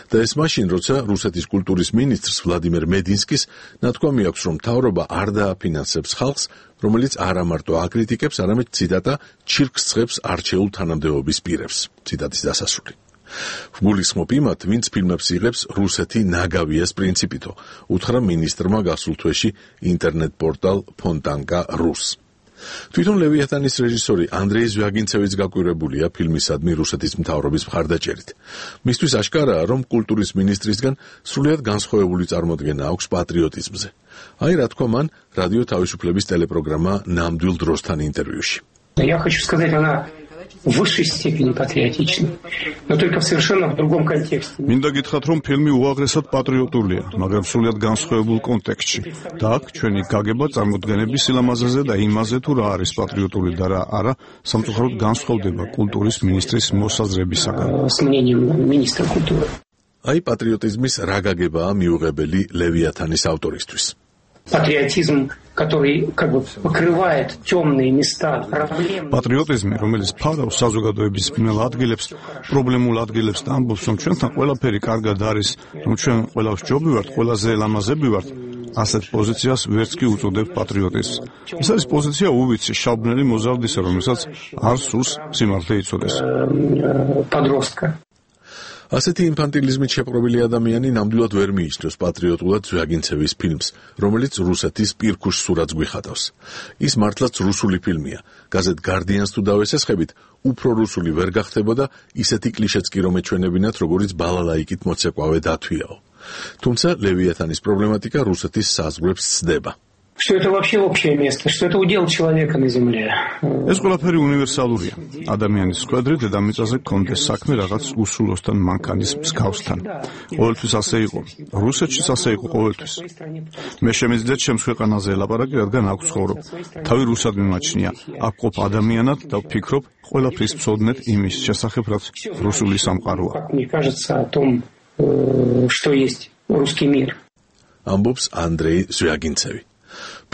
და ეს მაშინ, როცა რუსეთის კულტურის მინისტრს ვლადიმერ მედინსკის ნათქვამი აქვს, რომ მთავრობა არ დააფინანსებს ხალხს, რომელიც არა მარტო აკრიტიკებს, არამედ ციტატა ჩირკს ცხებს არჩეულ თანამდებობის პირებს. ციტატის დასასრული. გულისხმობ იმათ, ვინც ფილმებს იღებს რუსეთი ნაგავიას პრინციპითო, უთხრა მინისტრმა გასულ თვეში ინტერნეტ პორტალ Fontanka.ru-ს. თვითონ ლევიათანის რეჟისორი ანდრეი ზვიაგინცევიც გაკვირვებულია ფილმისადმი რუსეთის მთავრობის მხარდაჭერით. მისთვის აშკარაა, რომ კულტურის მინისტრისგან სრულიად განსხვავებული წარმოდგენა აქვს патриотизмზე. აი რა თქვა მან რადიო თავისუფლების ტელეპროგრამა ნამდვილ დროსთან ინტერვიუში. Я хочу сказать, она в высшей степени патриотична, но только в совершенно другом контексте. მინდა გითხრათ, რომ ფილმი უაღრესად პატრიოტულია, მაგრამ სრულიად განსხვავებულ კონტექსტში. და აქ ჩვენი გაგება წარმოდგენების სილამაზეზე და იმაზე, თუ რა არის პატრიოტული და რა არა, სამწუხაროდ განსხვავდება კულტურის მინისტრის მოსაზრებისაგან. С мнением министра культуры. აი პატრიოტიზმის რა გაგებაა მიუღებელი ლევიათანის ავტორისთვის. Патриотизм, который как бы покрывает темные места, проблемы. Патриотизм, რომელიც ფარავს საზოგადოების ბნელ ადგილებს, პრობლემულ ადგილებს და ამბობს, რომ ჩვენთან ყველაფერი კარგად არის, რომ ჩვენ ყველა ვსჯობი ვართ, ყველაზე ლამაზები ვართ. ასეთ პოზიციას ვერც კი უწოდებთ პატრიოტიზმს. ეს არის პოზიცია უვიცი, შავბნელი მოზარდისა, რომელსაც არ სურს სიმართლე იცოდეს. Подростка. ასეთი ინფანტილიზმით შეპყრობილი ადამიანი ნამდვილად ვერ მიიჩნევს პატრიოტულად ზვიაგინცევის ფილმს, რომელიც რუსეთის პირქუშ სურათს გვიხატავს. ის მართლაც რუსული ფილმია. გაზეთ Guardian-ს თუ დავესესხებით, უფრო რუსული ვერ გახდებოდა ისეთი კლიშეც კი რომ ეჩვენებინათ, როგორც ბალალაიკით მოცეკვავე დათვიაო. თუმცა ლევიათანის პრობლემატიკა რუსეთის საზღვრებს სცდება. Что это вообще общее место, что это удел человека на земле. ეს ყველაფერი უნივერსალურია. ადამიანის კვედრი დედამიწაზე კონდეს საქმე რაღაც უსულოსთან მანქანის მსგავსთან. ყოველთვის ასე იყო. რუსეთშიც ასე იყო ყოველთვის. მე შემიძლია ჩემს ქვეყანაზე ელაპარაკი, რადგან აქ ვცხოვრობ. თავი რუსად მიმაჩნია. აქ ყოფ ადამიანად და ვფიქრობ ყველაფრის მცოდნეთ იმის შესახებ, რაც რუსული სამყაროა. Мне кажется о том, что есть русский мир. ამბობს ანდრეი ზვიაგინცევი.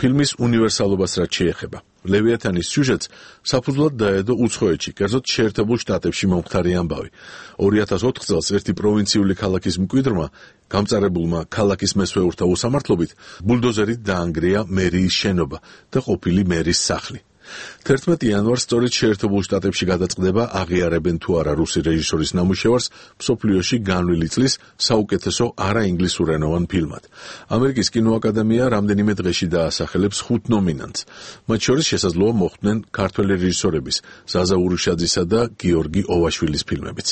ფილმის უნივერსალობას რაც შეეხება. ლევიათანის სიუჟეტს საფუძვლად დაედო უცხოეთში, კერძოდ შეერთებულ შტატებში მომხდარი ამბავი. 2004 წელს ერთი პროვინციული ქალაქის მკვიდრმა, გამწარებულმა ქალაქის მესვეურთა უსამართლობით, ბულდოზერით დაანგრია მერიის შენობა და ყოფილი მერის სახლი. 11 იანვარს სწორედ შეერთებულ შტატებში გადაწყდება აღიარებენ თუ არა რუსი რეჟისორის ნამუშევარს მსოფლიოში განვლილი წლის საუკეთესო არაინგლისურენოვან ფილმად. ამერიკის კინოაკადემია რამდენიმე დღეში დაასახელებს 5 ნომინანტს. მათ შორის შესაძლოა მოხვდნენ ქართველი რეჟისორების ზაზა ურუშაძისა და გიორგი ოვაშვილის ფილმებიც.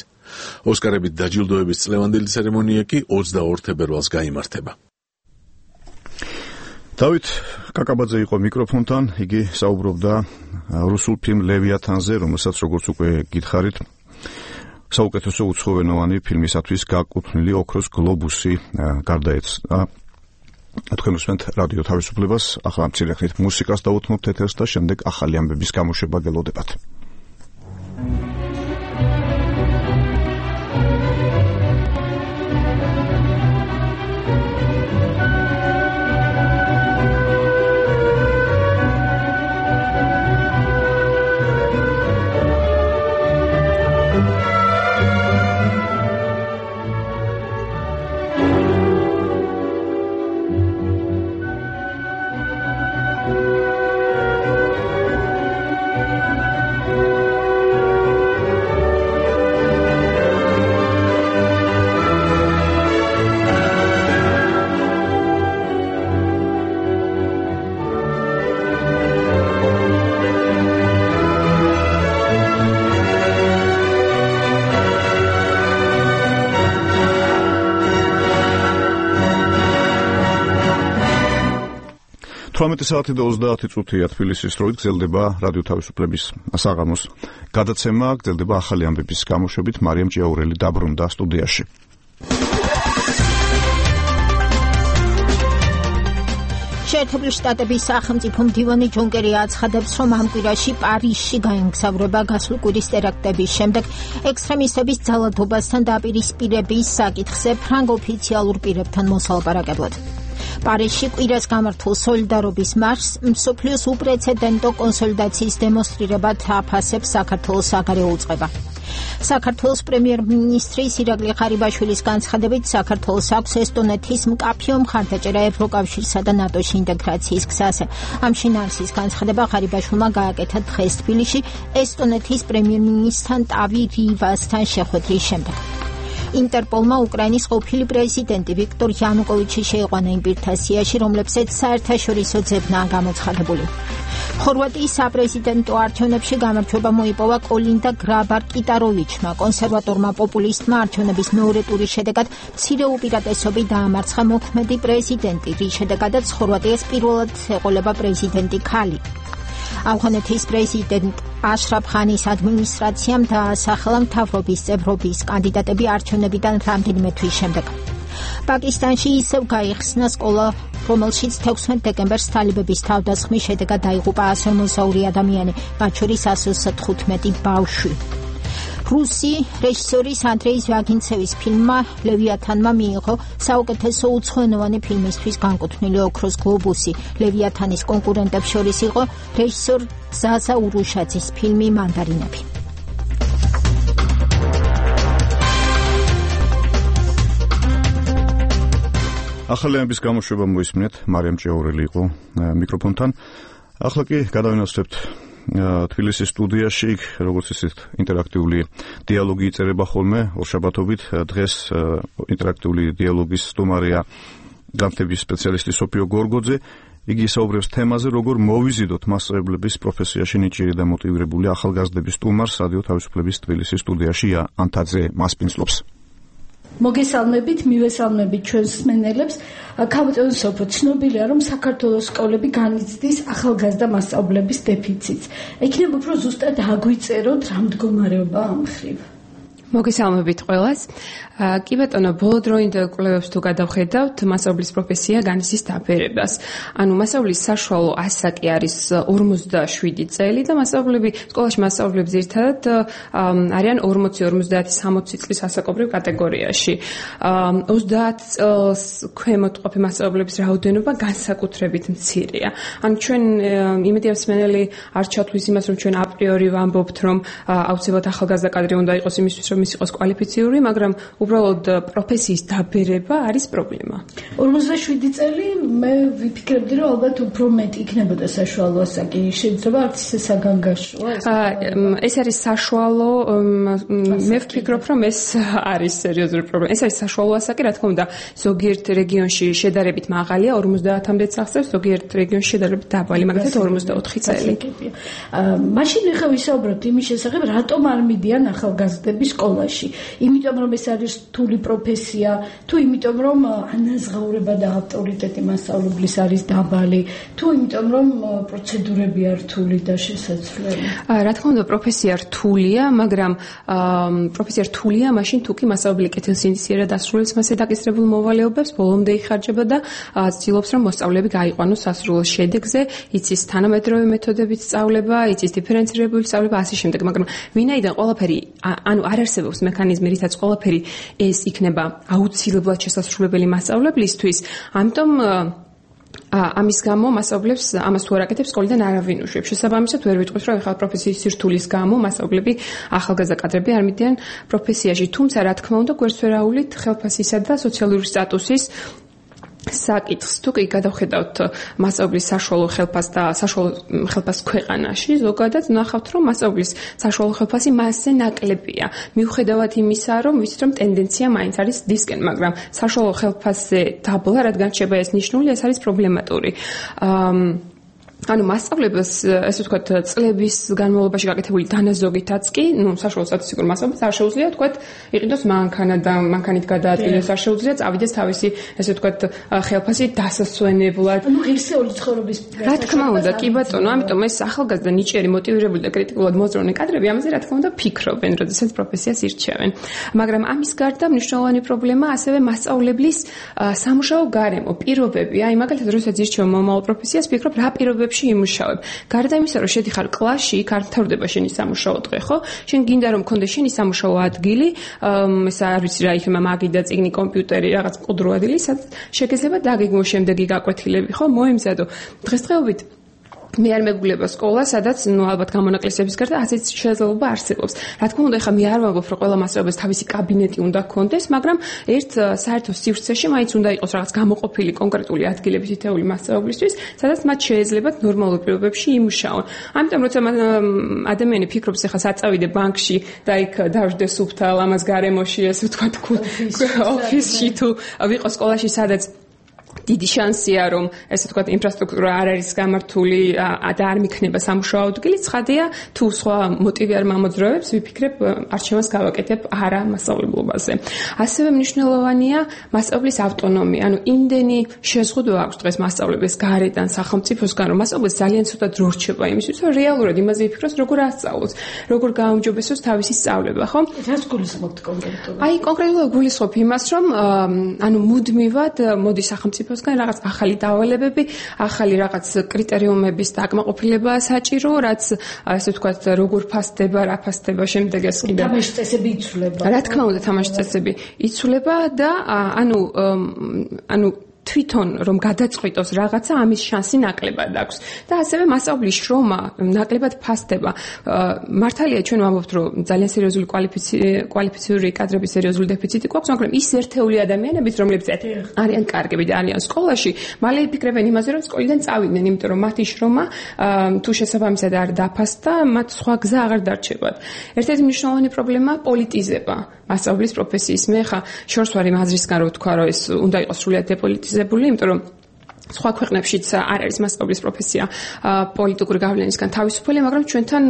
ოსკარებით დაჯილდოების წლევანდელი ცერემონია კი 22 თებერვალს გაიმართება. დავით კაკაბაძე იყო მიკროფონთან, იგი საუბრობდა რუსულ ფილმ ლევიათანზე, რომელსაც როგორც უკვე გითხარით, საუკეთესო უცხოენოვანი ფილმისათვის გაკუთვნილი ოქროს გლობუსი გარდაეცვა. თქვენ უსმენთ რადიო თავისუფლებას, ახლა მცირე ხნით მუსიკას დავუთმობთ ეთერს და შემდეგ ახალი ამბების გამოშვება გელოდებათ. 18 საათი და 30 წუთია თბილისის დროით გრძელდება რადიო თავისუფლების საღამოს გადაცემა, გრძელდება ახალი ამბების გამოშვებით. მარიამ ჭიაურელი დაბრუნდა სტუდიაში. შეერთებული შტატების სახელმწიფო მდივანი ჯონ კერი აცხადებს, რომ ამ კვირაში პარიზში გაემგზავრება გასულ კვირის ტერაქტების შემდეგ ექსტრემისტების ძალადობასთან დაპირისპირების საკითხზე ფრანგ ოფიციალურ პირებთან მოსალაპარაკებლად. პარიზში კვირას გამართულ სოლიდარობის მარშს მსოფლიოს უპრეცედენტო კონსოლიდაციის დემონსტრირებად აფასებს საქართველოს საგარეო უწყება. საქართველოს პრემიერ-მინისტრის ირაკლი ღარიბაშვილის განცხადებით, საქართველოს აქვს ესტონეთის მკაფიო მხარდაჭერა ევროკავშირსა და ნატოში ინტეგრაციის გზაზე. ამ შინაარსის განცხადება ღარიბაშვილმა გააკეთა დღეს თბილისში ესტონეთის პრემიერ-მინისტრთან ტავი რივასთან შეხვედრის შემდეგ. ინტერპოლმა უკრაინის ყოფილი პრეზიდენტი ვიქტორ იანუკოვიჩი შეიყვანა იმ პირთა სიაში, რომლებსაც საერთაშორისო ძებნაა გამოცხადებული. ხორვატიის საპრეზიდენტო არჩევნებში გამარჯვება მოიპოვა კოლინდა გრაბარ-კიტაროვიჩმა, კონსერვატორმა პოპულისტმა არჩევნების მეორე ტურის შედეგად მცირე უპირატესობით დაამარცხა მოქმედი პრეზიდენტი, რის შედეგადაც ხორვატიას პირველად ეყოლება პრეზიდენტი ქალი. ავღანეთის პრეზიდენტ აშრაფ ღანის ადმინისტრაციამ დაასახელა მთავრობის წევრობის კანდიდატები არჩევნებიდან რამდენიმე თვის შემდეგ. პაკისტანში ისევ გაიხსნა სკოლა, რომელშიც 16 დეკემბერს თალიბების თავდასხმის შედეგად დაიღუპა 150 ადამიანი, მათ შორის 115 ბავშვი. რუსი რეჟისორის ანდრეი ჟვაგინცევის ფილმმა ლევიათანმა მიიღო საუკეთესო უცხოენოვანი ფილმისთვის განკუთვნილი ოქროს გლობუსი. ლევიათანის კონკურენტებს შორის იყო რეჟისორ ზაზა ურუშაძის ფილმი მანდარინები. ახალი ამბების გამოშვება მოისმინეთ, მარიამ ჭიაურელი იყო მიკროფონთან. ახლა კი გადავინაცვლებთ თბილისის სტუდიაში, როგორც ისეთ ინტერაქტიული დიალოგი იწერება ხოლმე ორშაბათობით. დღეს ინტერაქტიული დიალოგის სტუმარია განათლების სპეციალისტი სოფიო გორგოძე. იგი საუბრობს თემაზე, როგორ მოვიზიდოთ მასწავლებლების პროფესიაში ნიჭიერი და მოტივირებული ახალგაზრდების სტუმარს. რადიო თავისუფლების თბილისის სტუდიაში ანთაძე მასპინძლობს. მოგესალმებით, მივესალმებით ჩვენს მსმენელებს. ქაბატონ სოფო, ცნობილია, რომ საქართველოს სკოლები განიცდის ახალგაზრდა მასწავლებლების დეფიციტს. ექნება უფრო ზუსტად აგვიწეროთ, რა მდგომარეობაა ამ მხრივ. მოგესალმებით ყველას. კი ბატონო, ბოლოდროინდ კვლევებს თუ გადავხედავთ, მასწავლებლის პროფესია განიცდის დაბერებას. ანუ მასწავლებლის საშუალო ასაკი არის 47 წელი და სკოლაში მასწავლებლები ძირითადად არიან 40-50 წლის ასაკობრივ კატეგორიაში. 30 წელს ქვემოთ ყოფი მასწავლებლების რაოდენობა განსაკუთრებით მცირეა. ანუ ჩვენ იმედია მსმენელი არ ჩათვლის იმას, რომ ჩვენ აპრიორი ვამბობთ, რომ აუცილებლად ახალგაზრდა კადრი უნდა იყოს იმისთვის, რომ ის იყოს კვალიფიციური, მაგრამ უბრალოდ პროფესიის დაბერება არის პრობლემა. 47 წელი მე ვიფიქრებდი, რომ ალბათ უფრო მეტი იქნებოდა საშუალო ასაკი. შეიძლება არც ისე საგანგაშოა. ეს არის საშუალო, მე ვფიქრობ, რომ ეს არის სერიოზული პრობლემა. ეს არის საშუალო ასაკი, რა თქმა უნდა, ზოგიერთ რეგიონში შედარებით მაღალია, 50-მდე აღწევს, ზოგიერთ რეგიონში შედარებით დაბალი, მაგალითად 44 წელი. მაშინ ახლა ვისაუბროთ იმის შესახებ, რატომ არ მიდიან ახალგაზრდები სკოლაში. იმიტომ რომ ეს არის რთული პროფესია, თუ იმიტომ რომ ანაზღაურება და ავტორიტეტი მასწავლებლის არის დაბალი, თუ იმიტომ რომ პროცედურები არ რთული და შესაძლებელი. რა თქმა უნდა, პროფესია რთულია, მაგრამ პროფესია რთულია მაშინ თუ კი მასწავლებელი კეთილსინდისიერად ასრულებს მასზე დაკისრებულ მოვალეობებს, ბოლომდე იხარჯება და ცდილობს რომ მოსწავლეები გაიყვანოს სასრულო შედეგზე, იცის თანამედროვე მეთოდებით სწავლება, იცის დიფერენცირებული სწავლება, ასე შემდეგ, მაგრამ ვინაიდან ყველაფერი, ანუ არ არსებობს მექანიზმი, რითაც ყველაფერი ეს იქნება აუცილებლად შესასრულებელი მასწავლებლისთვის, ამიტომ ამის გამო მასწავლებლებს ამას თუ არ აკეთებს სკოლიდან არავინ უშვებს. შესაბამისად ვერ ვიტყვით, რომ ახალ პროფესიის სირთულის გამო მასწავლებლები ახალგაზრდა კადრები არ მიდიან პროფესიაში. თუმცა რა თქმა უნდა, გვერდსვერავულით ხელფასისა და სოციალური სტატუსის საკითხს თუ კი გადავხედავთ მასწავლებლის საშუალო ხელფასს და საშუალო ხელფასს ქვეყანაში, ზოგადად ნახავთ, რომ მასწავლებლის საშუალო ხელფასი მასზე ნაკლებია. მიუხედავად იმისა, რომ ვიცით, რომ ტენდენცია მაინც არის დისკენ, მაგრამ საშუალო ხელფასზე დაბლა, რადგან შეიძლება ეს ნიშნული, ეს არის პრობლემატური. ანუ მასწავლებლებს ესე ვთქვათ წლების განმავლობაში გაკეთებული დანაზოგითაც კი, საშუალო სტატისტიკურ მასწავლებლებს არ შეუძლია ვთქვათ იყიდოს მანქანა და მანქანით გადაადგილოს, არ შეუძლია წავიდეს თავისი ესე ვთქვათ ხელფასი დასასვენებლად. ანუ ღირსეული ცხოვრების რა თქმა უნდა, კი ბატონო, ამიტომ ეს ახალგაზრდა ნიჭიერი, მოტივირებული და კრიტიკულად მოძრაობენ კადრები ამაზე რა თქმა უნდა ფიქრობენ, როდესაც პროფესიას ირჩევენ. მაგრამ ამის გარდა მნიშვნელოვანი პრობლემა ასევე მასწავლებლის სამუშაო გარემო, პირობები. აი მაგალითად, როდესაც ირჩევ მომავალ პროფესიას, ფიქრობ რა პირობებში იმუშავებ. გარდა იმისა, რომ შედიხარ კლასში, იქ არ მთავრდება შენი სამუშაო დღე, ხო? შენ გინდა რომ მქონდეს შენი სამუშაო ადგილი, ეს არ ვიცი რა იქნება მაგიდა წიგნი, კომპიუტერი, რაღაც მყუდრო ადგილი, სადაც შეგეძლება დაგეგმო შემდეგი გაკვეთილები, ხო? მოიმზადო. დღესდღეობით მე არ მეგულება სკოლა, სადაც ალბათ გამონაკლისების გარდა ასეთ შესაძლებლობა არსებობს. რა თქმა უნდა, ეხლა მე არ ვამბობ, რომ ყველა მასწავლებელს თავისი კაბინეტი უნდა ჰქონდეს, მაგრამ ერთ საერთო სივრცეში მაინც უნდა იყოს რაღაც გამოყოფილი კონკრეტული ადგილები თითოეული მასწავლებლისთვის, სადაც მათ შეეძლებათ ნორმალურ პირობებში იმუშაონ. ამიტომ როცა ადამიანი ფიქრობს, ეხლა საწავიდე ბანკში და იქ დავждე სუფთა ლამაზ გარემოში, ესე ვთქვათ, ოფისში თუ ვიყო სკოლაში, სადაც დიდი შანსია რომ ესე ვთქვათ ინფრასტრუქტურა არ არის გამართული და არ მიქნება სამუშაო ადგილი, ცხადია თუ სხვა მოტივი არ მომძრაობს, ვიფიქრებ არჩევანს გავაკეთებ არა მასწავლებლობაზე. ასევე მნიშვნელოვანია მასწავლებლის ავტონომია, ანუ იმდენი შეზღუდვა აქვს დღეს მასწავლებლის გარედან სახელმწიფოსგან, რომ მასწავლებელს ძალიან ცოტა დრო რჩება იმისთვის, რომ რეალურად იმაზე იფიქროს, როგორ ასწავლოს, როგორ გააუმჯობესოს თავისი სწავლება, ხო? რას გულისხმობთ კონკრეტულად? აი კონკრეტულად გულისხმობ იმას, რომ ანუ მუდმივად მოდის სახელმწიფოსგან რაღაც ახალი დავალებები, ახალი რაღაც კრიტერიუმების დაკმაყოფილებაა საჭირო, რაც ასე ვთქვათ, როგორ ფასდება, რა ფასდება, შემდეგ ეს კიდე თამაშის წესები იცვლება. რა თქმა უნდა, თამაშის წესები იცვლება და ანუ თვითონ რომ გადაწყვიტოს რაღაცა, ამის შანსი ნაკლებად აქვს. და ასევე მასწავლებლის შრომა ნაკლებად ფასდება. მართალია ჩვენ ვამბობთ, რომ ძალიან სერიოზული კვალიფიციური კადრების სერიოზული დეფიციტი გვაქვს, მაგრამ ის ერთეული ადამიანებიც, რომლებიც არიან კარგები და არიან სკოლაში, მალე იფიქრებენ იმაზე, რომ სკოლიდან წავიდნენ, იმიტომ რომ მათი შრომა თუ შესაბამისად არ დაფასდა, მათ სხვა გზა აღარ დარჩებათ. ერთ-ერთი მნიშვნელოვანი პრობლემაა პოლიტიზება მასწავლებლის პროფესიის. მე ხა შორს ვარ იმ აზრისგან, რომ ვთქვა, რომ ეს უნდა იყოს სრულიად დეპოლიტიზებული, იმიტომ რომ სხვა ქვეყნებშიც არ არის მასწავლებლის პროფესია პოლიტიკური გავლენისგან თავისუფალი, მაგრამ ჩვენთან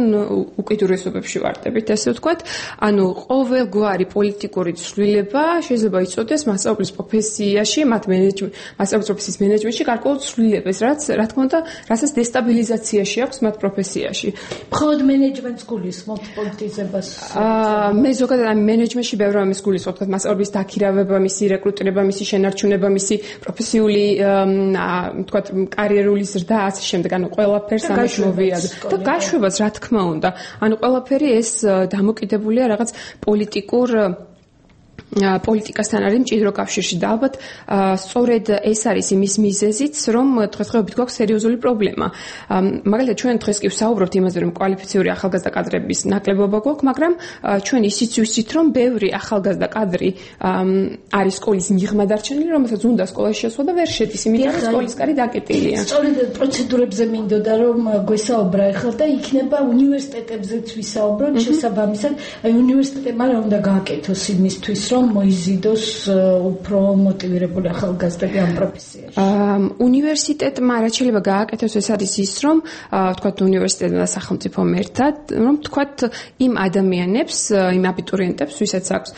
უკიდურესობებში ვარდებით, ესე ვთქვათ. ანუ ყოველგვარი პოლიტიკური ცვლილება შეიძლება იწოდეს მასწავლებლის პროფესიაში, მასწავლებლის პროფესიის მენეჯმენტში გარკვეულ ცვლილებას, რაც რა თქმა უნდა, რასაც დესტაბილიზაციაში აქვს მათ პროფესიაში. მხოლოდ მენეჯმენტს გულისხმობთ პოლიტიზებას? მე ზოგადად ამ მენეჯმენტში ბევრ რამეს გულისხმობ, თქო მასწავლებლის დაქირავება, მისი რეკრუტირება, მისი შენარჩუნება, მისი პროფესიული თქვათ კარიერული ზრდა ასე შემდეგ, ანუ ყველაფერს ამით მოვიაზრე და გაშვებას რა თქმა უნდა. ანუ ყველაფერი ეს დამოკიდებულია რაღაც პოლიტიკასთან არის მჭიდრო კავშირში და ალბათ სწორედ ეს არის იმის მიზეზიც, რომ დღესდღეობით გვაქვს სერიოზული პრობლემა. მაგალითად ჩვენ დღეს კი ვსაუბრობთ იმაზე, რომ კვალიფიციური ახალგაზრდა კადრების ნაკლებობა გვაქვს, მაგრამ ჩვენ ისიც ვიცით, რომ ბევრი ახალგაზრდა კადრი არის სკოლის მიღმა დარჩენილი, რომელსაც უნდა სკოლაში შესვლა და ვერ შედის, იმიტომ რომ სკოლის კარი დაკეტილია. სწორედ პროცედურებზე მინდოდა რომ გვესაუბრა ახლა და იქნება უნივერსიტეტებზეც ვისაუბროთ შესაბამისად, აი უნივერსიტეტებმა რა უნდა გააკეთოს იმისთვის, რომ მოიზიდოს უფრო მოტივირებული ახალგაზრდები ამ პროფესიაში. უნივერსიტეტმა რაც შეიძლება გააკეთოს, ეს არის ის, რომ თქვათ უნივერსიტეტმა და სახელმწიფომ ერთად, რომ თქვათ იმ ადამიანებს, იმ აბიტურიენტებს, ვისაც აქვს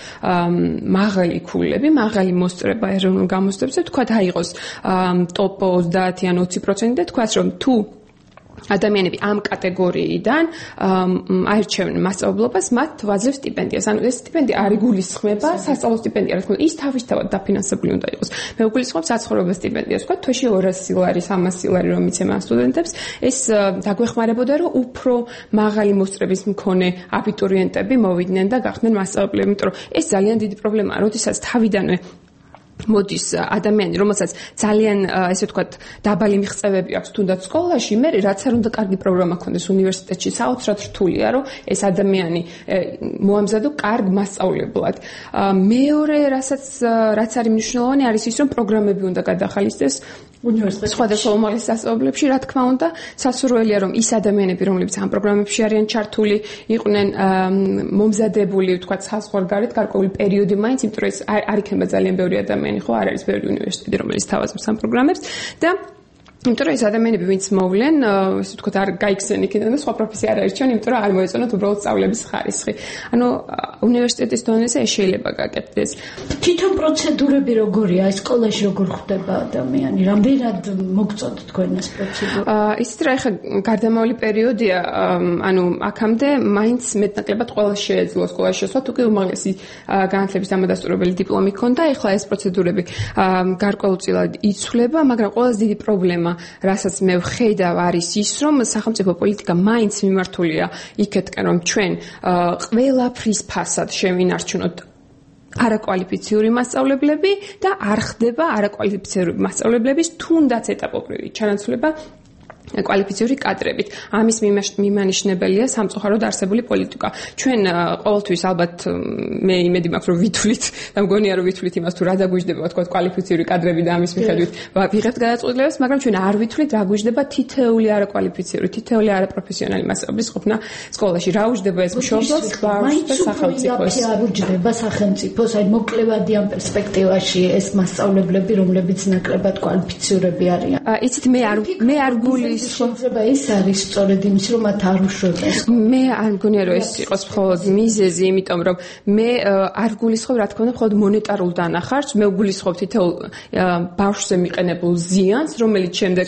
მაღალი ქულები, მაღალი მოსწრება ეროვნულ გამოსწრებებზე, თქვათ აიღოს ტოპ 30 ან 20% და თქვათ, რომ თუ ადამიანები ამ კატეგორიიდან აირჩევენ მასწავლებლობას, მათ ვაძლევს სტიპენდიას. ანუ ეს სტიპენდია არ იგულისხმება, სასწავლო სტიპენდია, რა თქმა უნდა, ის თავისთავად დაფინანსებული უნდა იყოს. მე ვგულისხმობ საცხოვრებელ სტიპენდიას, თქვა თვეში 200 ლარი, 300 ლარი რომ მიცემა სტუდენტებს, ეს დაგვეხმარებოდა, რომ უფრო მაღალი მოსწრების მქონე აბიტურიენტები მოვიდნენ და გახდნენ მასწავლებლები, იმიტომ რომ ეს ძალიან დიდი პრობლემაა, როდესაც თავიდანვე მოდის ადამიანი, რომელსაც ძალიან ესე ვთქვათ დაბალი მიღწევები აქვს თუნდაც სკოლაში, მე რაც არ უნდა კარგი პროგრამა ქონდეს უნივერსიტეტში, საოცრად რთულია, რომ ეს ადამიანი მოამზადო კარგ მასწავლებლად. მეორე, რაც არის მნიშვნელოვანი, არის ის, რომ პროგრამები უნდა გადახალისდეს უნივერსიტეტში, სხვადასხვა უმაღლეს სასწავლებლებში, რა თქმა უნდა, სასურველია, რომ ის ადამიანები, რომლებიც ამ პროგრამებში არიან ჩართული, იყვნენ მომზადებული, ვთქვათ, საზღვარგარეთ გარკვეული პერიოდი მაინც, იმიტომ რომ ეს არ იქნება ძალიან ბევრი ადამიანი, ხო, არ არის ბევრი უნივერსიტეტი, რომელიც თავაზობს ამ პროგრამებს და იმიტომ რომ ეს ადამიანები ვინც მოვლენ, ესე ვთქვათ, არ გაიქცნენ იქიდან და სხვა პროფესია არ არჩევენ, იმიტომ რომ არ მოეწონათ უბრალოდ სწავლების ხარისხი. ანუ უნივერსიტეტის დონეზე ეს შეიძლება გაკეთდეს. თვითონ პროცედურები როგორია, სკოლაში როგორ ხდება ადამიანი? რამდენად მოგწონთ თქვენ ეს პროცედურა? ისიც რა ეხა გარდამავალი პერიოდია, ანუ აქამდე მაინც მეტნაკლებად ყველა შეეძლო სკოლაში შესვლა, თუ კი უმაღლესი განათლების დამადასტურებელი დიპლომი ჰქონდა, ეხლა ეს პროცედურები გარკვეულწილად იცვლება, მაგრამ ყველაზე დიდი პრობლემა, რასაც მე ვხედავ, არის ის, რომ სახელმწიფო პოლიტიკა მაინც მიმართულია იქეთკენ, რომ ჩვენ ყველაფრის ფასად შევინარჩუნოთ არაკვალიფიციური მასწავლებლები და არ ხდება არაკვალიფიციური მასწავლებლების თუნდაც ეტაპობრივი ჩანაცვლება კვალიფიციური კადრებით. ამის მიმანიშნებელია სამწუხაროდ არსებული პოლიტიკა. ჩვენ ყოველთვის ალბათ მე იმედი მაქვს რომ ვითვლით და მგონია რომ ვითვლით იმას თუ რა დაგვიждდება თქვა კვალიფიციური კადრები და ამის მიხედვით ვიღებთ გადაწყვეტილებას, მაგრამ ჩვენ არ ვითვლით რა გვიждდება თითოეული არაკვალიფიციური, თითოეული არაპროფესიონალი მასწავლებლის ყოფნა სკოლაში. რა უждდება ეს მშობლებს, ბავშვს და სახელმწიფოს? არ უждდება სახელმწიფოს, აი მოკლევადიან პერსპექტივაში ეს მასწავლებლები, რომლებიც ნაკლებად კვალიფიციურები არიან. იცით მე არ გული შეიძლება ეს არის სწორედ იმის რომ მათ არ უშვებდეს. მე არ მგონია რომ ეს იყოს მხოლოდ მიზეზი, იმიტომ რომ მე არ გულისხმობ რა თქმა უნდა მხოლოდ მონეტარულ დანახარს, მე ვგულისხმობ თითოეულ ბავშვზე მიყენებულ ზიანს, რომელიც შემდეგ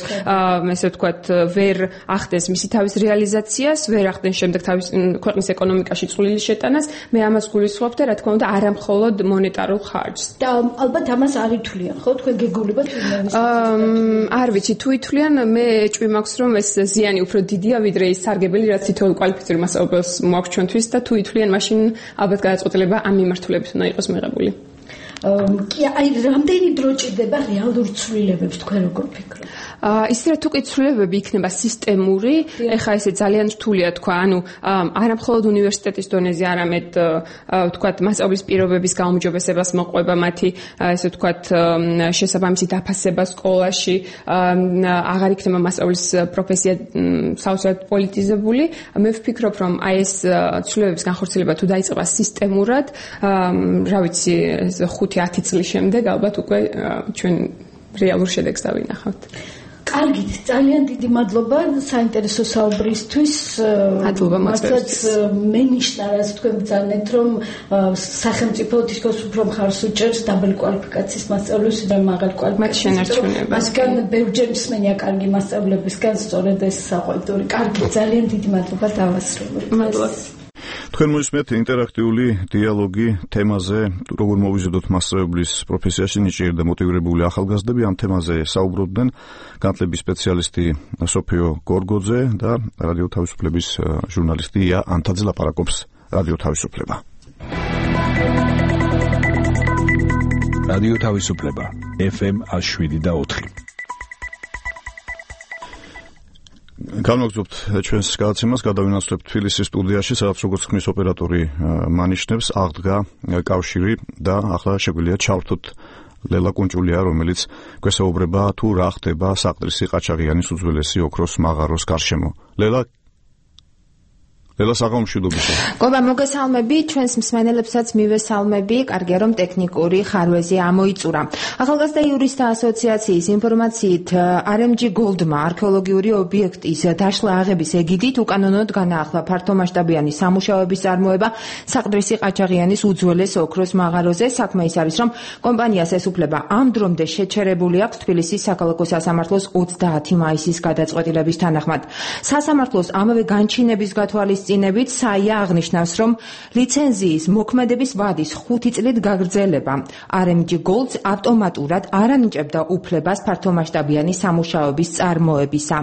ესე ვთქვათ ვერ ახდენს მისი თავის რეალიზაციას, ვერ ახდენს შემდეგ თავის ქვეყნის ეკონომიკაში წვლილი შეტანას, მე ამას გულისხმობ და რა თქმა უნდა არა მხოლოდ მონეტარულ ხარჯს. და ალბათ ამას არ ითვლიან, ხო? თქვენ გეგულებათ იმ არ ვიცი, თუ ითვლიან, მე ჭვი მაქვს რომ ეს ზიანი უფრო დიდია ვიდრე ის სარგებელი რაც თითოეულ კვალიფიციური მასწავლებელს მოაქვს ჩვენთვის და თუ ითვლიან მაშინ ალბათ გადაწყვეტილება ამ მიმართულებით უნდა იყოს მიღებული. კი, აი რამდენი დრო ჭირდება რეალურ ცვლილებებს თქვენ როგორ ფიქრობთ? ის რა თუ კი ცვლილებები იქნება სისტემური, ეხა ესე ძალიან რთულია თქვა, ანუ არა მხოლოდ უნივერსიტეტის დონეზე, არამედ ვთქვათ მასწავლებლის პირობების გაუმჯობესებას მოყვება მათი ესე ვთქვათ შესაბამისი დაფასება სკოლაში, აღარ იქნება მასწავლებლის პროფესია საოცრად პოლიტიზებული. მე ვფიქრობ, რომ აი ეს ცვლილებების განხორციელება თუ დაიწყება სისტემურად, რა ვიცი 5-10 წლის შემდეგ ალბათ უკვე ჩვენ რეალურ შედეგს დავინახავთ. კარგით, ძალიან დიდი მადლობა საინტერესო საუბრისთვის. მადლობა მოწვევისთვის. მე ნიშნა რაც თქვენ ბრძანეთ, რომ სახელმწიფო თითქოს უფრო მხარს უჭერს დაბალი კვალიფიკაციის მასწავლებლებს და მაღალი კვალიფიკაციის მასწავლებლებს. მასგან ბევრჯერ მსმენია კარგი მასწავლებლებისგან სწორედ ეს საყვედური. კარგი, ძალიან დიდი მადლობა დავასრულოთ. მადლობა. თქვენ მოისმენთ ინტერაქტიული დიალოგი თემაზე, როგორ მოვიზიდოთ მასწავლებლის პროფესიაში ნიჭიერი და მოტივირებული ახალგაზრდები. ამ თემაზე საუბრობდნენ განათლების სპეციალისტი სოფიო გორგოძე და რადიო თავისუფლების ჟურნალისტი ია ანთაძე ლაპარაკობს რადიო თავისუფლება. რადიო თავისუფლება FM 107.4. განვაგრძობთ ჩვენს გადაცემას, გადავინაცვლებთ თბილისის სტუდიაში, სადაც როგორც ხმის ოპერატორი მანიშნებს, აღდგა კავშირი და ახლა შეგვიძლია ჩავრთოთ ლელა კუნჭულია, რომელიც გვესაუბრება თუ რა ხდება საყდრისი ყაჩაღიანის უძველესი ოქროს მაღაროს გარშემო. ლელა საღამომშვიდობისა. გობა მოგესალმები, ჩვენს მსმენელებსაც მივესალმები, კარგია რომ ტექნიკური ხარვეზი ამოიწურა. ახალგაზრდა იურისტთა ასოციაციის ინფორმაციით RMG Goldma არქეოლოგიური ობიექტის დაშლა აღების ეგიდით უკანონოდ განაახლა ფართომასშტაბიანი სამუშაოების წარმოება საყდრისი ყაჩაღიანის უძველეს ოქროს მაღაროზე. საქმე ის არის, რომ კომპანიას ეს უფლება ამ დრომდე შეჩერებული აქვს თბილისის საქალაქო სასამართლოს 30 მაისის გადაწყვეტილების თანახმად. სასამართლოს ამავე განჩინების გათვალისწინებით საია აღნიშნავს, რომ ლიცენზიის მოქმედების ვადის 5 წლით გაგრძელება RMG Gold's ავტომატურად არ ანიჭებდა უფლებას ფართომასშტაბიანი სამუშაოების წარმოებისა.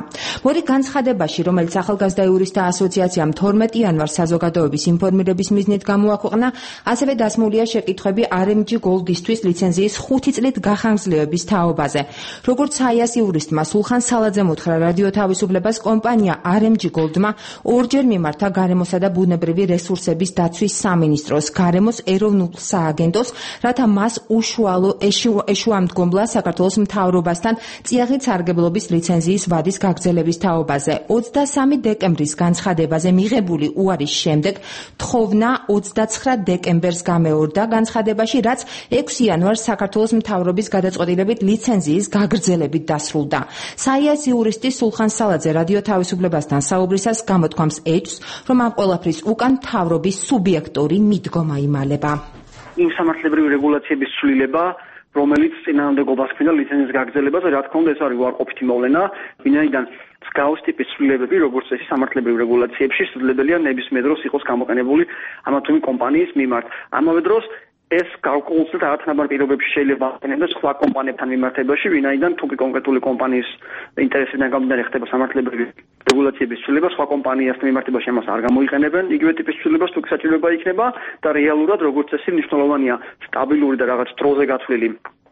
მოდი განცხადებაში, რომელიც ახალგაზრდა იურისტთა ასოციაციამ 12 იანვარს საზოგადოების ინფორმირების მიზნით გამოაქვეყნა, ასევე დასმულია შეკითხვები RMG Gold-ისთვის ლიცენზიის 5 წლით გახანგრძლივების თაობაზე. როგორც საიას იურისტმა სულხან სალაძემ უთხრა რადიო თავისუფლებას, კომპანია RMG Gold-მა ორჯერ მიმართა გარემოსა და ბუნებრივი რესურსების დაცვის სამინისტროს, გარემოს ეროვნულ სააგენტოს, რათა მას ეშუამდგომლა საქართველოს მთავრობასთან წიაღით სარგებლობის ლიცენზიის ვადის გაგრძელების თაობაზე. 23 დეკემბრის განცხადებაზე მიღებული უარის შემდეგ თხოვნა 29 დეკემბერს გამეორდა განცხადებაში, რაც 6 იანვარს საქართველოს მთავრობის გადაწყვეტილებით ლიცენზიის გაგრძელებით დასრულდა. საიას იურისტი სულხან სალაძე რადიო თავისუფლებასთან საუბრისას გამოთქვამს ეჭვს, რომ ამ ყველაფრის უკან მთავრობის სუბიექტური მიდგომა იმალება. იმ სამართლებრივი რეგულაციების ცვლილება, რომელიც წინააღმდეგობას ქმნიდა ლიცენზიის გაგრძელებაზე, რა თქმა უნდა, ეს არის უარყოფითი მოვლენა, ვინაიდან მსგავს ტიპის ცვლილებები, როგორც წესი სამართლებრივ რეგულაციებში, შესაძლებელია ნებისმიერ დროს იყოს გამოყენებული ამა თუ იმ კომპანიის მიმართ. ამავე დროს ეს გაუკვირვებლად არათანაბარ პირობებში შეიძლება აღქმებდეს სხვა კომპანიებთან მიმართებაში, ვინაიდან თუ კი კონკრეტული კომპანიის ინტერესიდან გამომდინარე ხდება სამართლებრივი რეგულაციების ცვლილება, სხვა კომპანიასთან მიმართებაში ამას არ გამოიყენებენ იგივე ტიპის ცვლილებას, თუ კი საჭიროება იქნება და რეალურად როგორც წესი მნიშვნელოვანია სტაბილური და რაღაც დროზე გათვლილი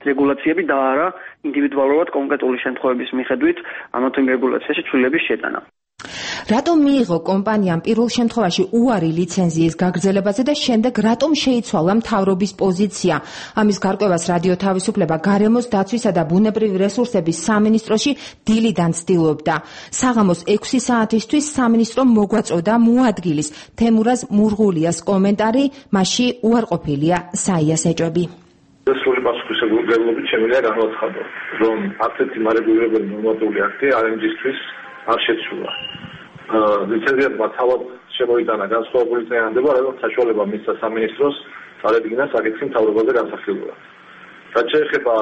რეგულაციები და არა ინდივიდუალურად კონკრეტული შემთხვევების მიხედვით ამა თუ იმ რეგულაციაში ცვლილების შეტანა. რატომ მიიღო კომპანიამ პირველ შემთხვევაში უარი ლიცენზიის გაგრძელებაზე და შემდეგ რატომ შეიცვალა მთავრობის პოზიცია? ამის გარკვევას რადიო თავისუფლება გარემოს დაცვისა და ბუნებრივი რესურსების სამინისტროში დილიდან ცდილობდა. საღამოს 6 საათისთვის სამინისტრომ მოგვაწოდა მოადგილის თემურაზ მურღულიას კომენტარი, მასში უარყოფილია საიას ეჭვები. სრული პასუხისმგებლობით შემიძლია განვაცხადო, რომ ასეთი მარეგულირებელი ნორმატიული აქტი RMG-ისთვის არ შეცვლა. ლიცენზიატმა თავად შემოიტანა განსხვავებული წინააღმდება, რაც საშუალება მისცა სამინისტროს წარედგინა საკითხი მთავრობაზე განსახილველად. რაც შეეხება